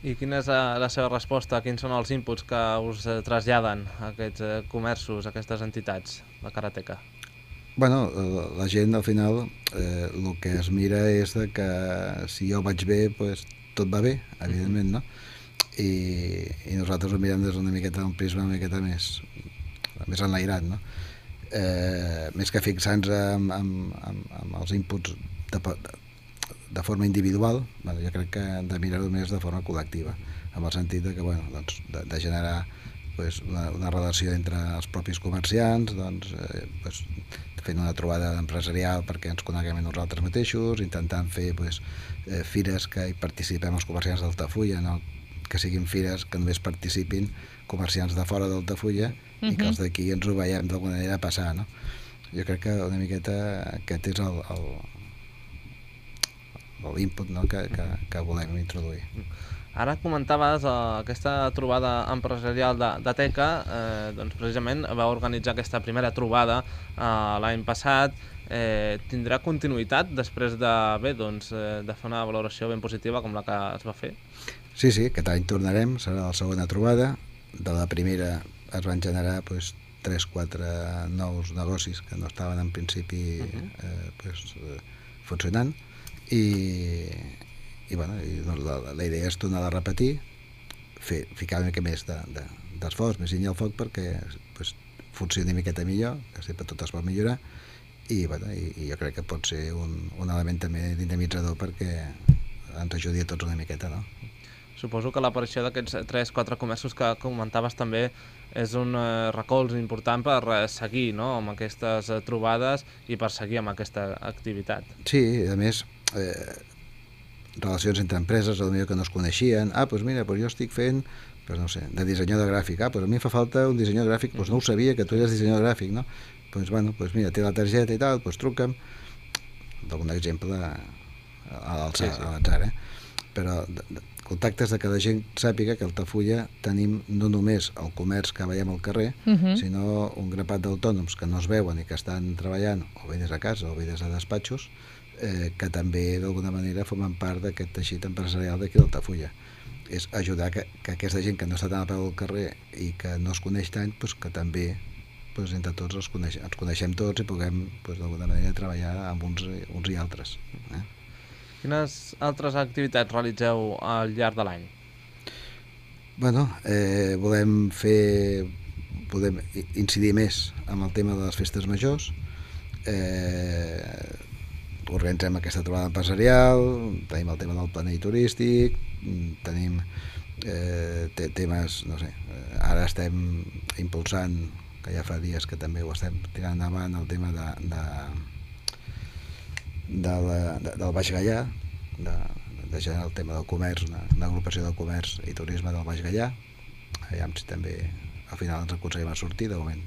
I quina és la, la seva resposta? Quins són els inputs que us eh, traslladen aquests eh, comerços, aquestes entitats de Teca? Bueno, la, la gent al final eh, el que es mira és de que si jo vaig bé, pues, tot va bé, evidentment, no? I, i nosaltres ho mirem des d'una miqueta un prisma una miqueta més, més enlairat, no? Eh, més que fixar-nos en, en, en, en els inputs de, de forma individual, bueno, jo crec que hem de mirar-ho més de forma col·lectiva, en el sentit de, que, bueno, doncs, de, de generar pues, una, una relació entre els propis comerciants, doncs, eh, pues, fent una trobada empresarial perquè ens coneguem nosaltres mateixos, intentant fer pues, eh, fires que hi participem els comerciants d'Altafulla, no? Que siguin fires que només participin comerciants de fora d'Altafulla uh-huh. i que els d'aquí ens ho veiem d'alguna manera passar, no? Jo crec que una miqueta aquest és el, el, l'input, no? que, que, que volem introduir. Ara comentaves eh, aquesta trobada empresarial de, de Teca, eh, doncs precisament va organitzar aquesta primera trobada eh, l'any passat. Eh, tindrà continuïtat després de, bé, doncs, eh, de fer una valoració ben positiva com la que es va fer? Sí, sí, aquest any tornarem, serà la segona trobada. De la primera es van generar pues, tres quatre nous negocis que no estaven en principi uh-huh. eh, pues, eh, funcionant i, i, bueno, i doncs, la, la idea és tornar a repetir, fer, ficar una mica més d'esforç, de, més llenya al foc perquè pues, funcioni una miqueta millor, que sempre tot es pot millorar i, bueno, i, i jo crec que pot ser un, un element també dinamitzador perquè ens ajudi a tots una miqueta, no? Suposo que l'aparició d'aquests tres quatre comerços que comentaves també és un eh, recolz important per eh, seguir, no?, amb aquestes eh, trobades i per seguir amb aquesta activitat. Sí, a més, eh, relacions entre empreses, potser que no es coneixien. Ah, doncs mira, doncs jo estic fent, doncs no sé, de dissenyador gràfic. Ah, doncs a mi em fa falta un dissenyador gràfic, doncs no ho sabia que tu eres dissenyador gràfic, no? Doncs bueno, doncs mira, té la targeta i tal, doncs truca'm. D'algun exemple a l'atzar, sí, sí. eh? Però de, de, contactes de que la gent sàpiga que a Altafulla tenim no només el comerç que veiem al carrer, uh-huh. sinó un grapat d'autònoms que no es veuen i que estan treballant o bé des de casa o bé des de despatxos, eh, que també d'alguna manera formen part d'aquest teixit empresarial d'aquí d'Altafulla. És ajudar que, que aquesta gent que no està tan a peu del carrer i que no es coneix tant, pues, que també pues, entre tots els coneix, ens coneixem tots i puguem pues, d'alguna manera treballar amb uns, uns i altres. Eh? Quines altres activitats realitzeu al llarg de l'any? Bueno, eh, volem fer, podem incidir més amb el tema de les festes majors, eh, organitzem aquesta trobada empresarial, tenim el tema del planell turístic, tenim eh, temes, no sé, ara estem impulsant, que ja fa dies que també ho estem tirant endavant, el tema de, de, de la, de, del Baix Gaià, de, de generar el tema del comerç, una, una agrupació del comerç i turisme del Baix Gaià. Aviam si també al final ens aconseguim a sortir, de moment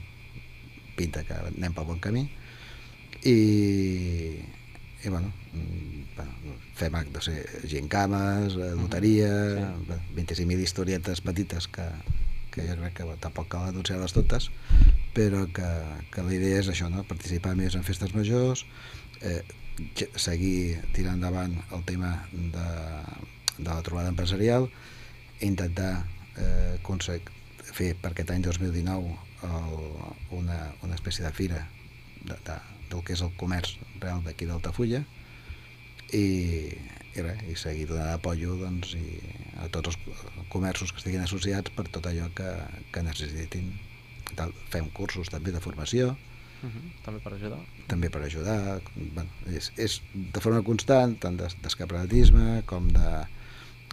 pinta que anem pel bon camí. I, i bueno, bueno, fem actes, gincames, loteria, sí. vint-i-cinc mil historietes petites que, que jo crec que tampoc cal anunciar-les totes, però que, que la idea és això, no? Participar més en festes majors, eh, seguir tirant endavant el tema de, de la trobada empresarial, intentar eh, fer per aquest any dos mil dinou el, una, una espècie de fira de, de, del que és el comerç real d'aquí d'Altafulla i, i, res, i seguir donant apoyo, doncs, i a tots els comerços que estiguin associats per tot allò que, que necessitin. Tal. Fem cursos també de formació. Uh-huh. També per ajudar. També per ajudar. Bueno, és, és de forma constant, tant d'escaparatisme com de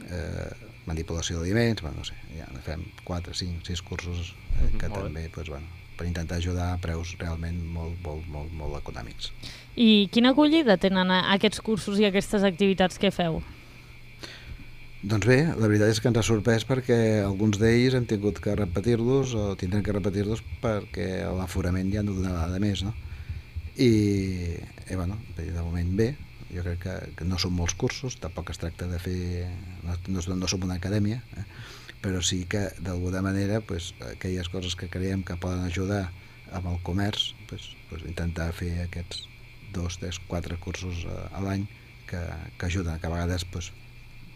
eh, manipulació d'aliments. Bueno, no sé, ja fem quatre, cinc, sis cursos eh, que uh-huh. també, doncs, bueno, per intentar ajudar a preus realment molt, molt, molt, molt econòmics. I quina acollida tenen aquests cursos i aquestes activitats que feu? Doncs bé, la veritat és que ens ha sorprès perquè alguns d'ells hem tingut que repetir-los o tindrem que repetir-los perquè l'aforament ja no donava de més, no? I, i bueno, de moment bé, jo crec que, que no són molts cursos, tampoc es tracta de fer, no, no, no som una acadèmia, eh? Però sí que d'alguna manera pues, aquelles coses que creiem que poden ajudar amb el comerç, pues, pues, intentar fer aquests dos, tres, quatre cursos a, a l'any que, que ajuden, que a vegades pues,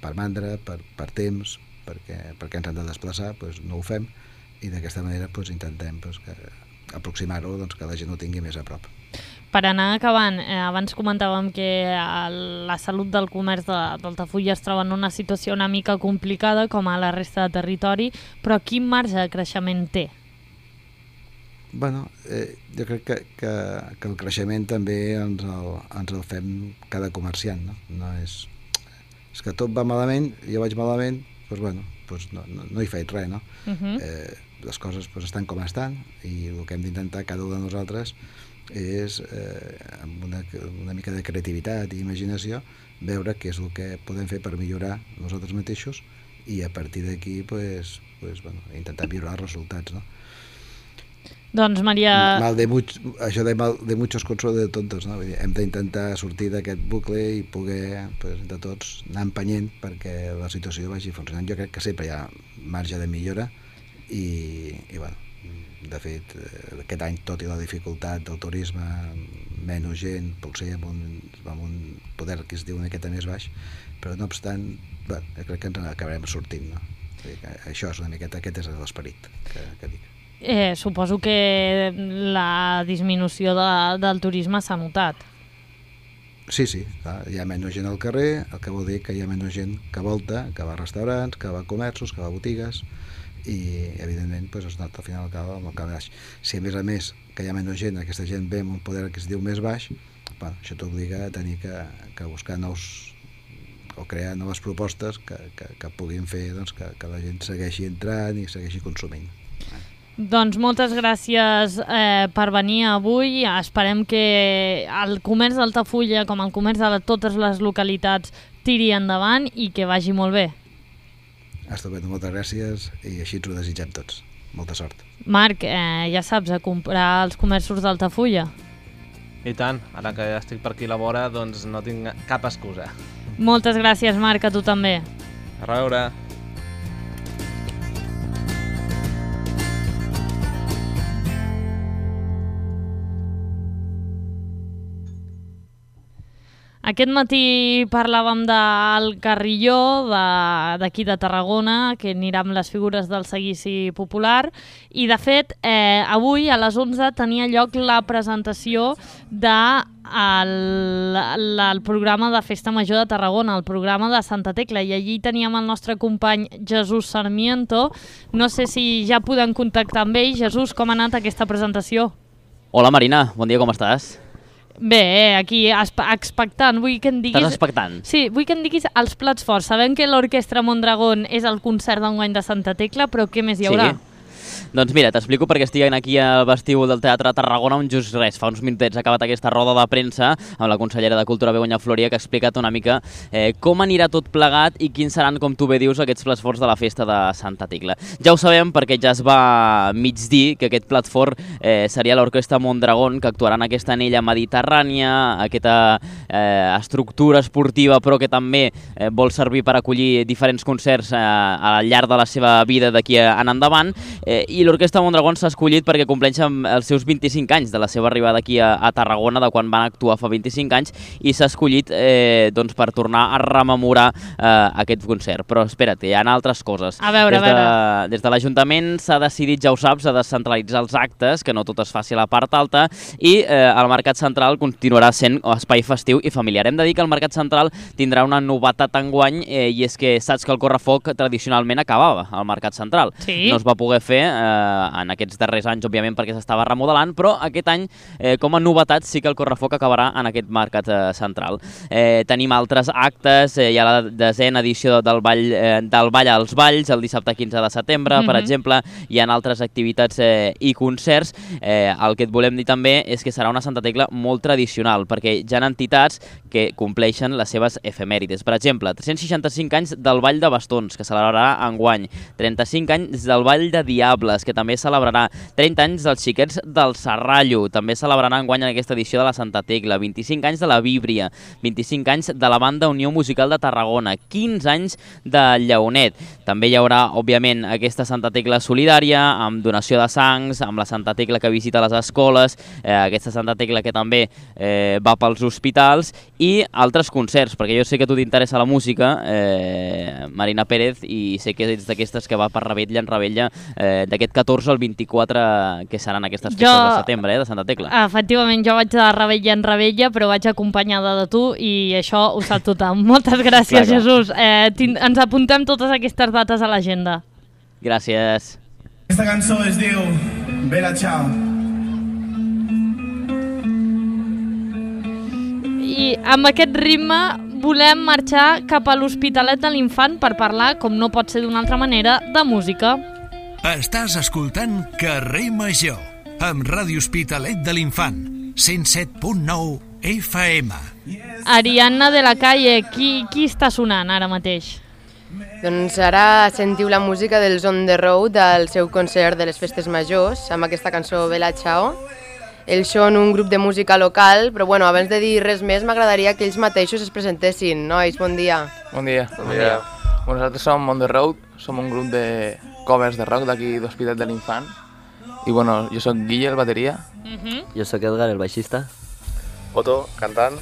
per mandra, per, per temps, perquè, perquè ens hem de desplaçar, doncs no ho fem, i d'aquesta manera doncs, intentem doncs, que, aproximar-ho, doncs, que la gent ho tingui més a prop. Per anar acabant, eh, abans comentàvem que la salut del comerç d'Altafulla es troba en una situació una mica complicada, com a la resta de territori, però quin marge de creixement té? Bueno, eh, jo crec que, que, que el creixement també ens el, ens el fem cada comerciant, no? No és... és que tot va malament, jo vaig malament, doncs bueno, doncs no, no, no hi faig res, no? Uh-huh. eh, les coses doncs, estan com estan i el que hem d'intentar cada un de nosaltres és, eh, amb una, una mica de creativitat i imaginació, veure què és el que podem fer per millorar nosaltres mateixos i a partir d'aquí pues, pues, bueno, intentar millorar els resultats, no? Doncs Maria... Mal de much, això de, mal de muchos consuelo de tontos, no? Vull dir, hem d'intentar sortir d'aquest bucle i poder, pues, de tots, anar empenyent perquè la situació vagi funcionant. Jo crec que sempre hi ha marge de millora i, i bueno, de fet, aquest any, tot i la dificultat del turisme, menys gent, potser amb un, amb un poder que es diu una miqueta més baix, però no obstant, bueno, jo crec que ens acabarem sortint, no? Això és una miqueta, aquest és l'esperit que, que dic. Eh, suposo que la disminució de, del turisme s'ha notat. Sí, sí, clar, hi ha menys gent al carrer, el que vol dir que hi ha menys gent que volta, que va a restaurants, que va a comerços, que va a botigues, i evidentment pues, es nota al final acaba amb el cap baix. Si a més a més que hi ha menys gent, aquesta gent ve amb un poder que es diu més baix, bueno, això t'obliga a tenir que, que buscar nous o crear noves propostes que, que, que puguin fer doncs, que, que la gent segueixi entrant i segueixi consumint. Doncs moltes gràcies eh, per venir avui. Esperem que el comerç d'Altafulla, com el comerç de totes les localitats, tiri endavant i que vagi molt bé. Estupendo, moltes gràcies i així ens ho desitgem tots. Molta sort. Marc, eh, ja saps, a comprar als comerços d'Altafulla. I tant, ara que estic per aquí a la vora, doncs no tinc cap excusa. Moltes gràcies, Marc, a tu també. A reveure. Aquest matí parlàvem del Carrilló, d'aquí de, de Tarragona, que anirà amb les figures del seguici popular, i de fet, eh, avui a les onze tenia lloc la presentació del de el programa de Festa Major de Tarragona, el programa de Santa Tecla, i allí teníem el nostre company Jesús Sarmiento. No sé si ja podem contactar amb ell. Jesús, com ha anat aquesta presentació? Hola Marina, bon dia, com estàs? Bé, aquí expectant, vull que em diguis... Estàs expectant? Sí, vull que em diguis els plats forts. Sabem que l'Orquestra Mondragón és el concert d'enguany de Santa Tecla, però què més hi haurà? Sí. Doncs mira, t'explico perquè estic aquí al vestíbul del Teatre Tarragona on just res, fa uns minutets ha acabat aquesta roda de premsa amb la consellera de Cultura Begoña Floria que ha explicat una mica eh, com anirà tot plegat i quins seran, com tu bé dius, aquests plats forts de la festa de Santa Tecla. Ja ho sabem perquè ja es va mig dir que aquest plat fort eh, seria l'Orquestra Mondragón, que actuarà en aquesta anella mediterrània, aquesta eh, estructura esportiva però que també eh, vol servir per acollir diferents concerts eh, al llarg de la seva vida d'aquí en endavant. Eh, I l'Orquestra Mondragón s'ha escollit perquè compleixen els seus vint-i-cinc anys de la seva arribada aquí a, a Tarragona, de quan van actuar fa vint-i-cinc anys, i s'ha escollit eh, doncs, per tornar a rememorar eh, aquest concert. Però espera't, hi ha altres coses. A veure, des de, a veure. Des de l'Ajuntament s'ha decidit, ja ho saps, a descentralitzar els actes, que no tot es faci a la part alta, i eh, el Mercat Central continuarà sent espai festiu i familiar. Hem de dir que el Mercat Central tindrà una novetat enguany, eh, i és que saps que el correfoc tradicionalment acabava al Mercat Central. Sí. No es va poder fer eh, en aquests darrers anys, òbviament, perquè s'estava remodelant, però aquest any, eh, com a novetat, sí que el correfoc acabarà en aquest mercat eh, central. Eh, tenim altres actes, eh, hi ha la desena edició del Ball, eh, del Ball als Valls, el dissabte quinze de setembre, mm-hmm. per exemple, hi ha altres activitats eh, i concerts. Eh, el que et volem dir també és que serà una Santa Tecla molt tradicional, perquè hi ha entitats que compleixen les seves efemèrides. Per exemple, tres-cents seixanta-cinc anys del Ball de Bastons, que celebrarà enguany, trenta-cinc anys del Ball de Diables, que també celebrarà, trenta anys dels Xiquets del Serrallo, també celebrarà enguany en aquesta edició de la Santa Tecla, vint-i-cinc anys de la Víbria, vint-i-cinc anys de la Banda Unió Musical de Tarragona, quinze anys de Lleonet. També hi haurà, òbviament, aquesta Santa Tecla solidària, amb donació de sangs, amb la Santa Tecla que visita les escoles, eh, aquesta Santa Tecla que també eh, va pels hospitals, i altres concerts, perquè jo sé que a tu t'interessa la música, eh, Marina Pérez, i sé que ets d'aquestes que va per Rebetlla en Rebetlla, eh, d'aquest catorze al vint-i-quatre, que seran aquestes festes jo, de setembre, eh, de Santa Tecla. Efectivament, jo vaig de Rebetlla en Rebetlla, però vaig acompanyada de tu i això ho sap tothom. Moltes gràcies, clar, Jesús. Eh, ens apuntem totes aquestes dates a l'agenda. Gràcies. Aquesta cançó es diu Bella Ciao. I amb aquest ritme volem marxar cap a l'Hospitalet de l'Infant per parlar, com no pot ser d'una altra manera, de música. Estàs escoltant Carrer Major, amb Ràdio Hospitalet de l'Infant, cent set punt nou F M. Ariadna de la Calle, qui, qui està sonant ara mateix? Doncs ara sentiu la música dels On The Road del seu concert de les Festes Majors, amb aquesta cançó Bella Ciao. Ells són un grup de música local, però bueno, abans de dir res més m'agradaria que ells mateixos es presentessin. Nois, bon dia. Bon dia. Bon dia. Bueno, nosaltres som On The Road, som un grup de covers de rock d'aquí d'Hospitalet de l'Infant. I bueno, jo sóc Guille, el bateria. Uh-huh. Jo sóc Edgar, el baixista. Otto, cantant.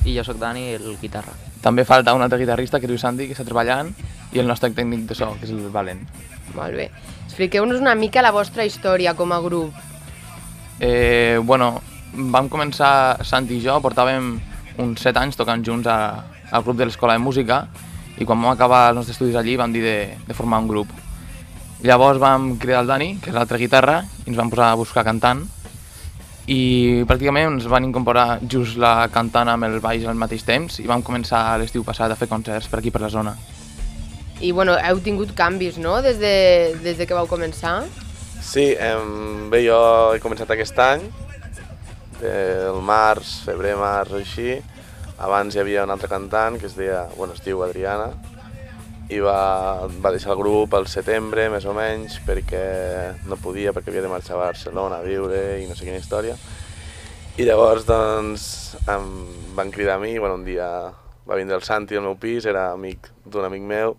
I jo sóc Dani, el guitarra. També falta un altre guitarrista, que es diu Santi, que està treballant, i el nostre tècnic de so, que és el Valen. Molt bé. Expliqueu-nos una mica la vostra història com a grup. Eh, bueno, vam començar, Santi i jo, portàvem uns set anys tocant junts a, al grup de l'Escola de Música, i quan vam acabar els nostres estudis allí vam dir de, de formar un grup. Llavors vam cridar el Dani, que és l'altra guitarra, i ens vam posar a buscar cantant, i pràcticament ens van incorporar just la cantant amb el baix al mateix temps, i vam començar l'estiu passat a fer concerts per aquí per la zona. I bueno, heu tingut canvis, no?, des de, des de que vau començar? Sí, em, bé, jo he començat aquest any, el març, febrer, març, així. Abans hi havia un altre cantant que es deia, bueno, es diu Adriana, i va, va deixar el grup al setembre, més o menys, perquè no podia, perquè havia de marxar a Barcelona a viure i no sé quina història. I llavors, doncs, em van cridar a mi, bueno, un dia va vindre el Santi al meu pis, era amic d'un amic meu,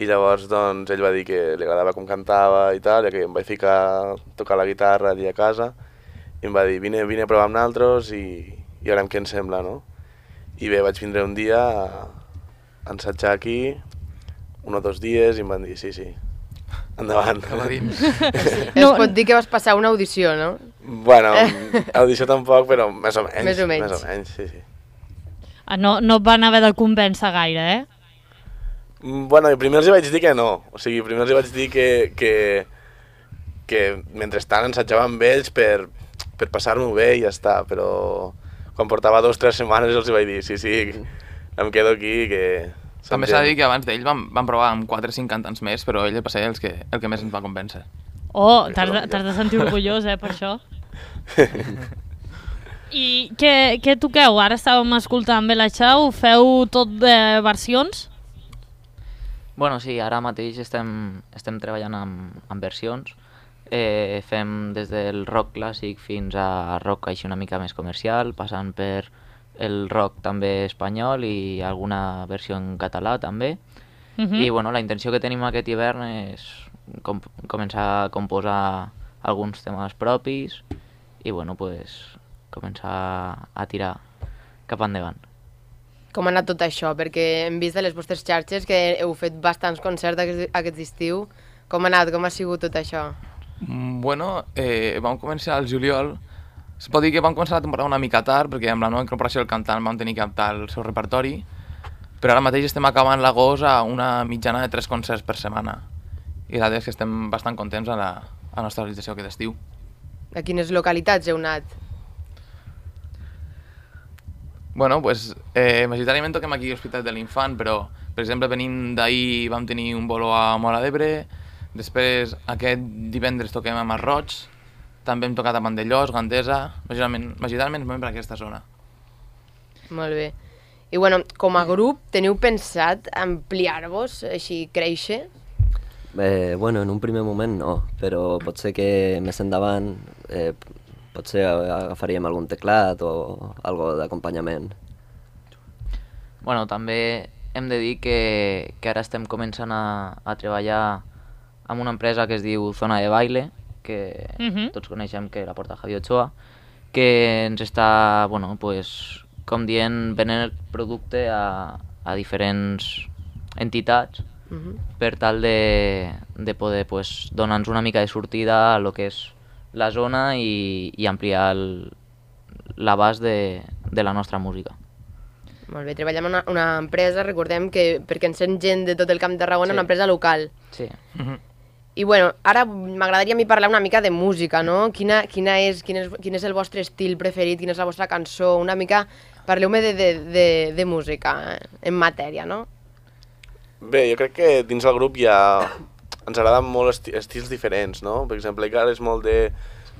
i llavors doncs, ell va dir que li agradava com cantava i tal, ja que em vaig ficar a tocar la guitarra allà a casa, i em va dir, vine, vine a provar amb nosaltres i, i veurem què ens sembla, no? I bé, vaig vindre un dia a ensajar aquí, un o dos dies, i em van dir, sí, sí, endavant. Es no, pot dir que vas passar una audició, no? Bueno, audició tampoc, però més o menys. Més o menys. Més o menys, sí, sí. Ah, no, no et van haver de convèncer gaire, eh? Bueno, primer els vaig dir que no, o sigui, primer els vaig dir que, que, que mentrestant ensatjava amb ells per, per passar-m'ho bé i ja està, però quan portava dos o tres setmanes els vaig dir, sí, sí, em quedo aquí, que... També s'ha de dir que abans d'ell vam, vam provar amb quatre o cinc cantants més, però ell va ser el que, el que més ens va convèncer. Oh, t'has de, t'has de sentir orgullós, eh, per això. I què, què toqueu? Ara estàvem escoltant Bella Ciao, feu tot de versions? Bueno, sí, ara mateix estem, estem treballant amb, amb versions. Eh, fem des del rock clàssic fins a rock així una mica més comercial, passant per el rock també espanyol i alguna versió en català també. Uh-huh. I bueno, la intenció que tenim aquest hivern és com, començar a composar alguns temes propis i bueno, pues, començar a tirar cap endavant. Com ha anat tot això? Perquè hem vist de les vostres xarxes que heu fet bastants concerts aquest, aquest estiu. Com ha anat? Com ha sigut tot això? Bueno, eh, vam començar al juliol. Es pot dir que vam començar la temporada una mica tard, perquè amb la nova incorporació del cantant vam tenir que adaptar el seu repertori, però ara mateix estem acabant l'agost a una mitjana de tres concerts per setmana. I la veritat és que estem bastant contents a la, a la nostra realització aquest estiu. A quines localitats heu anat? Bueno, pues, eh, majoritàriament toquem aquí a l'Hospital de l'Infant, però, per exemple, venint d'ahir vam tenir un bolo a Móra d'Ebre, després aquest divendres toquem a Masroig, també hem tocat a Vandellós, Gandesa, majoritàriament, majoritàriament per aquesta zona. Molt bé. I bueno, com a grup, teniu pensat ampliar-vos, així créixer? Eh, bueno, en un primer moment no, però pot ser que més endavant eh, potser agafaríem algun teclat o algo d'acompanyament. Bueno, també hem de dir que, que ara estem començant a, a treballar amb una empresa que es diu Zona de Baile, que uh-huh. tots coneixem que la porta Javi Ochoa, que ens està, bueno, pues, com dient, venent el producte a, a diferents entitats uh-huh. per tal de, de poder pues, donar-nos una mica de sortida a lo que és la zona i, i ampliar l'abast de, de la nostra música. Molt bé, treballem en una, una empresa, recordem que perquè ens sent gent de tot el Camp de Tarragona, sí. Una empresa local. Sí. Uh-huh. I bueno, ara m'agradaria a mi parlar una mica de música, no? Quina, quina és, quin, és, quin és el vostre estil preferit, quina és la vostra cançó, una mica... Parleu-me de, de, de, de música, en matèria, no? Bé, jo crec que dins del grup hi ha... Ens agraden molt esti estils diferents, no? Per exemple, Icar és molt de,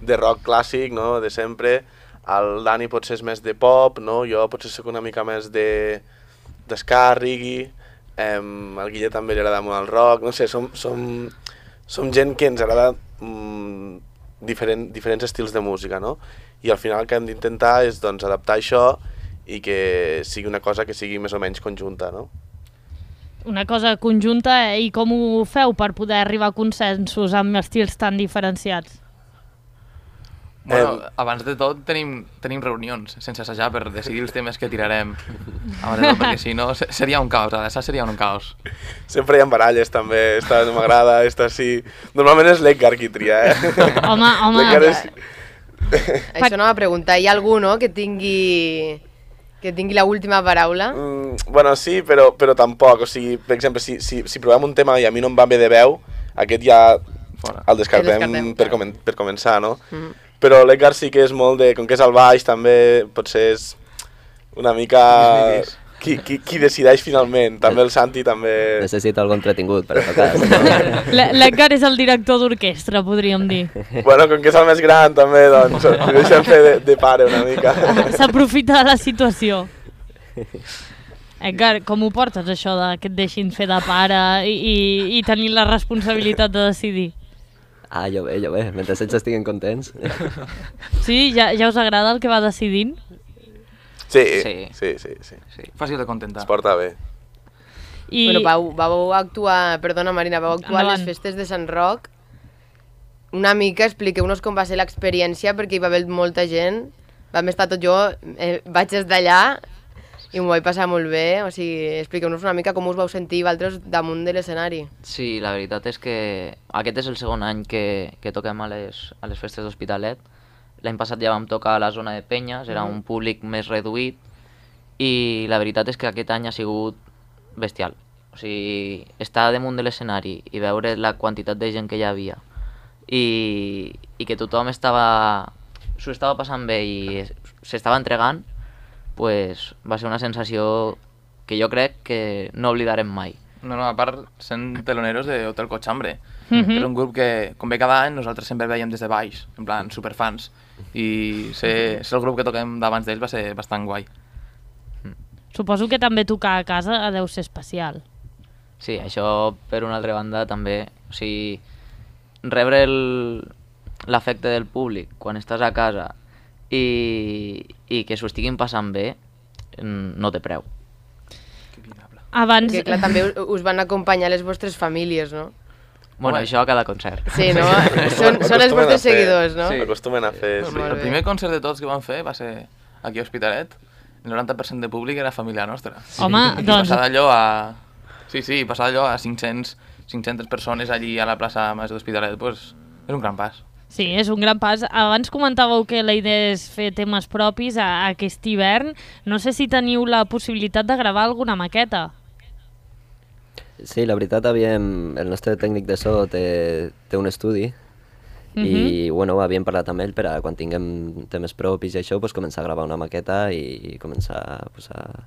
de rock clàssic, no? De sempre. El Dani potser és més de pop, no? Jo potser soc una mica més de d'esca, reggae. Um, el Guille també li agrada molt el rock. No sé, som... som Som gent que ens agrada mm, diferent, diferents estils de música, no? I al final el que hem d'intentar és doncs, adaptar això i que sigui una cosa que sigui més o menys conjunta, no? Una cosa conjunta, eh? I com ho feu per poder arribar a consensos amb estils tan diferenciats? Bueno, eh, abans de tot tenim, tenim reunions sense assajar per decidir els temes que tirarem abans de tot, perquè si no seria un caos, l'assaig seria un caos. Sempre hi ha baralles també, esta no m'agrada, esta sí... Normalment és l'Edgar qui tria, eh? Home, home... És... Això no va preguntar, hi ha algú, no?, que tingui... que tingui l'última paraula? Mm, bueno, sí, però, però tampoc, o sigui, per exemple, si, si, si provem un tema i a mi no em va bé de veu, aquest ja Fora. el descartem, el descartem per, comen per començar, no? Mm. Però l'Edgar sí que és molt de... Com que és al baix també, potser és una mica... Qui, qui, qui decideix finalment. També el Santi també... Necessita algun entretingut per a tocar. L'Edgar és el director d'orquestra, podríem dir. Bueno, com que és el més gran també, doncs, li deixem fer de, de pare una mica. S'aprofita de la situació. Edgar, com ho portes això de que et deixin fer de pare i, i, i tenir la responsabilitat de decidir? Ah, jo bé, jo bé, mentre ells estiguin contents. Sí? Ja, ja us agrada el que va decidint? Sí, sí, sí, sí. sí. sí. Fàcil de contentar. Es porta bé. I... Bueno, vau, vau actuar, perdona Marina, vau actuar a les festes de Sant Roc. Una mica, expliqueu-nos com va ser l'experiència, perquè hi va haver molta gent. Vam estar tot jo, eh, vaig des d'allà i m'ho vaig passar molt bé. O sigui, expliqueu-nos una mica com us vau sentir vosaltres damunt de l'escenari. Sí, la veritat és que aquest és el segon any que, que toquem a les, a les festes d'Hospitalet. L'any passat ja vam tocar a la zona de Penyes, era un públic més reduït i la veritat és que aquest any ha sigut bestial. O sigui, estar damunt de l'escenari i veure la quantitat de gent que hi havia i, i que tothom estava s'ho estava passant bé i s'estava entregant, pues, va ser una sensació que jo crec que no oblidarem mai. No, no, a part, sent teloneros de Hotel Cochambre. Mhm. És un grup que, com ve cada any, nosaltres sempre el veiem des de baix, en plan, superfans. I ser, ser el grup que toquem d'abans d'ells va ser bastant guai. Suposo que també tocar a casa deu ser especial. Sí, això, per una altra banda, també... O sigui, rebre el- l'afecte del públic quan estàs a casa i, i que s'ho estiguin passant bé, mm, no té preu. Abans... Que clar, també us- us van acompanyar les vostres famílies, no? Bueno, Home. això a cada concert. Sí, no? Són, són els vostres seguidors, no? Sí, acostumen a fer, sí. El primer concert de tots que vam fer va ser aquí a Hospitalet. El noranta per cent de públic era família nostra. Home, I doncs- passar d'allò a... Sí, sí, passar d'allò a cinc-cents, cinc-centes persones allí a la plaça Major d'Hospitalet, pues, és un gran pas. Sí, és un gran pas. Abans comentàveu que la idea és fer temes propis a, a aquest hivern. No sé si teniu la possibilitat de gravar alguna maqueta. Sí, la veritat, havíem, el nostre tècnic de so té, té un estudi i bueno, havíem parlat amb ell per a quan tinguem temes propis i això, pues, començar a gravar una maqueta i començar pues, a,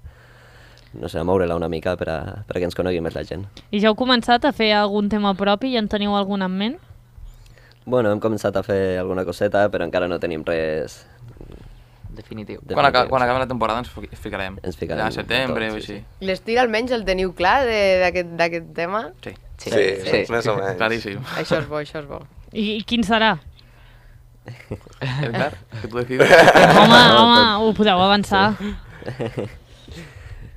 no sé, a moure-la una mica per a, per a que ens conegui més la gent. I ja heu començat a fer algun tema propi i en teniu algun en ment? Bueno, hem començat a fer alguna coseta, però encara no tenim res definitiu. Quan, aca quan acabi la temporada ens fi- ficarem. Ens ficarem Ja a setembre tot, o sí, així. L'estil almenys el teniu clar de- d'aquest d'aquest tema? Sí. Sí, sí, més o menys. Claríssim. Això és bo, això és bo. I, i quin serà? Edgar, que tu decides. Home, home, ho podeu avançar.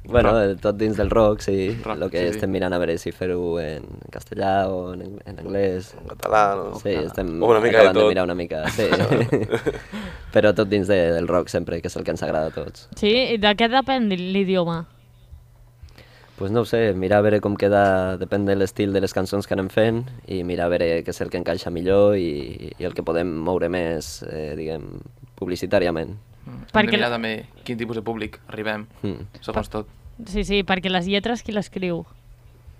Bueno, tot dins del rock, sí. Rock, El que sí, sí. estem mirant a veure si fer-ho en castellà o en, en anglès. En català, no? Sí, estem O una mica de acabant de, tot. mirar una mica, sí. Però tot dins de, del rock sempre, que és el que ens agrada a tots. Sí? I de què depèn l'idioma? Pues no ho sé, mirar a veure com queda, depèn de l'estil de les cançons que anem fent i mirar a veure què és el que encaixa millor i, i el que podem moure més, eh, diguem, publicitàriament. Hem Perquè de mirar la- també quin tipus de públic arribem, Mm. segons tot. Sí, sí, perquè les lletres qui l'escriu?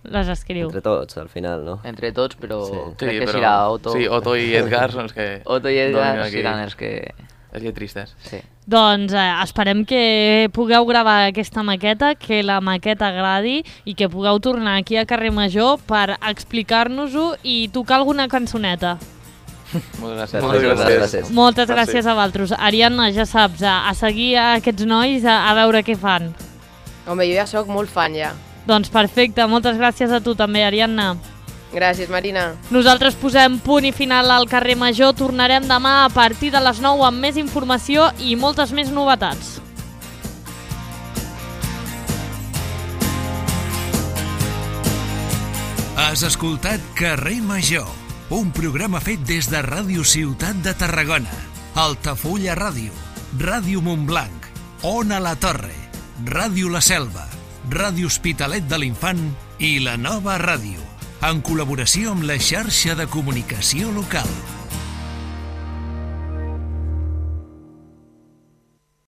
Les escriu. Entre tots, al final, no? Entre tots, però Sí. crec Sí, que però- serà Otto. sí, Otto i Edgar són els que Otto i Edgar dominen aquí. seran els que... Els lletristes. Sí. Doncs eh, esperem que pugueu gravar aquesta maqueta, que la maqueta agradi i que pugueu tornar aquí a Carrer Major per explicar-nos-ho i tocar alguna cançoneta. Moltes gràcies. Moltes gràcies. gràcies. Moltes gràcies a vosaltres. Ariadna, ja saps, a, a seguir a aquests nois a, a veure què fan. Home, jo ja sóc molt fan, ja. Doncs perfecte, moltes gràcies a tu també, Ariadna. Gràcies, Marina. Nosaltres posem punt i final al Carrer Major. Tornarem demà a partir de les nou amb més informació i moltes més novetats. Has escoltat Carrer Major, un programa fet des de Ràdio Ciutat de Tarragona, Altafulla Ràdio, Ràdio Montblanc, Ona la Torre, Ràdio La Selva, Ràdio Hospitalet de l'Infant i La Nova Ràdio, en col·laboració amb la xarxa de comunicació local.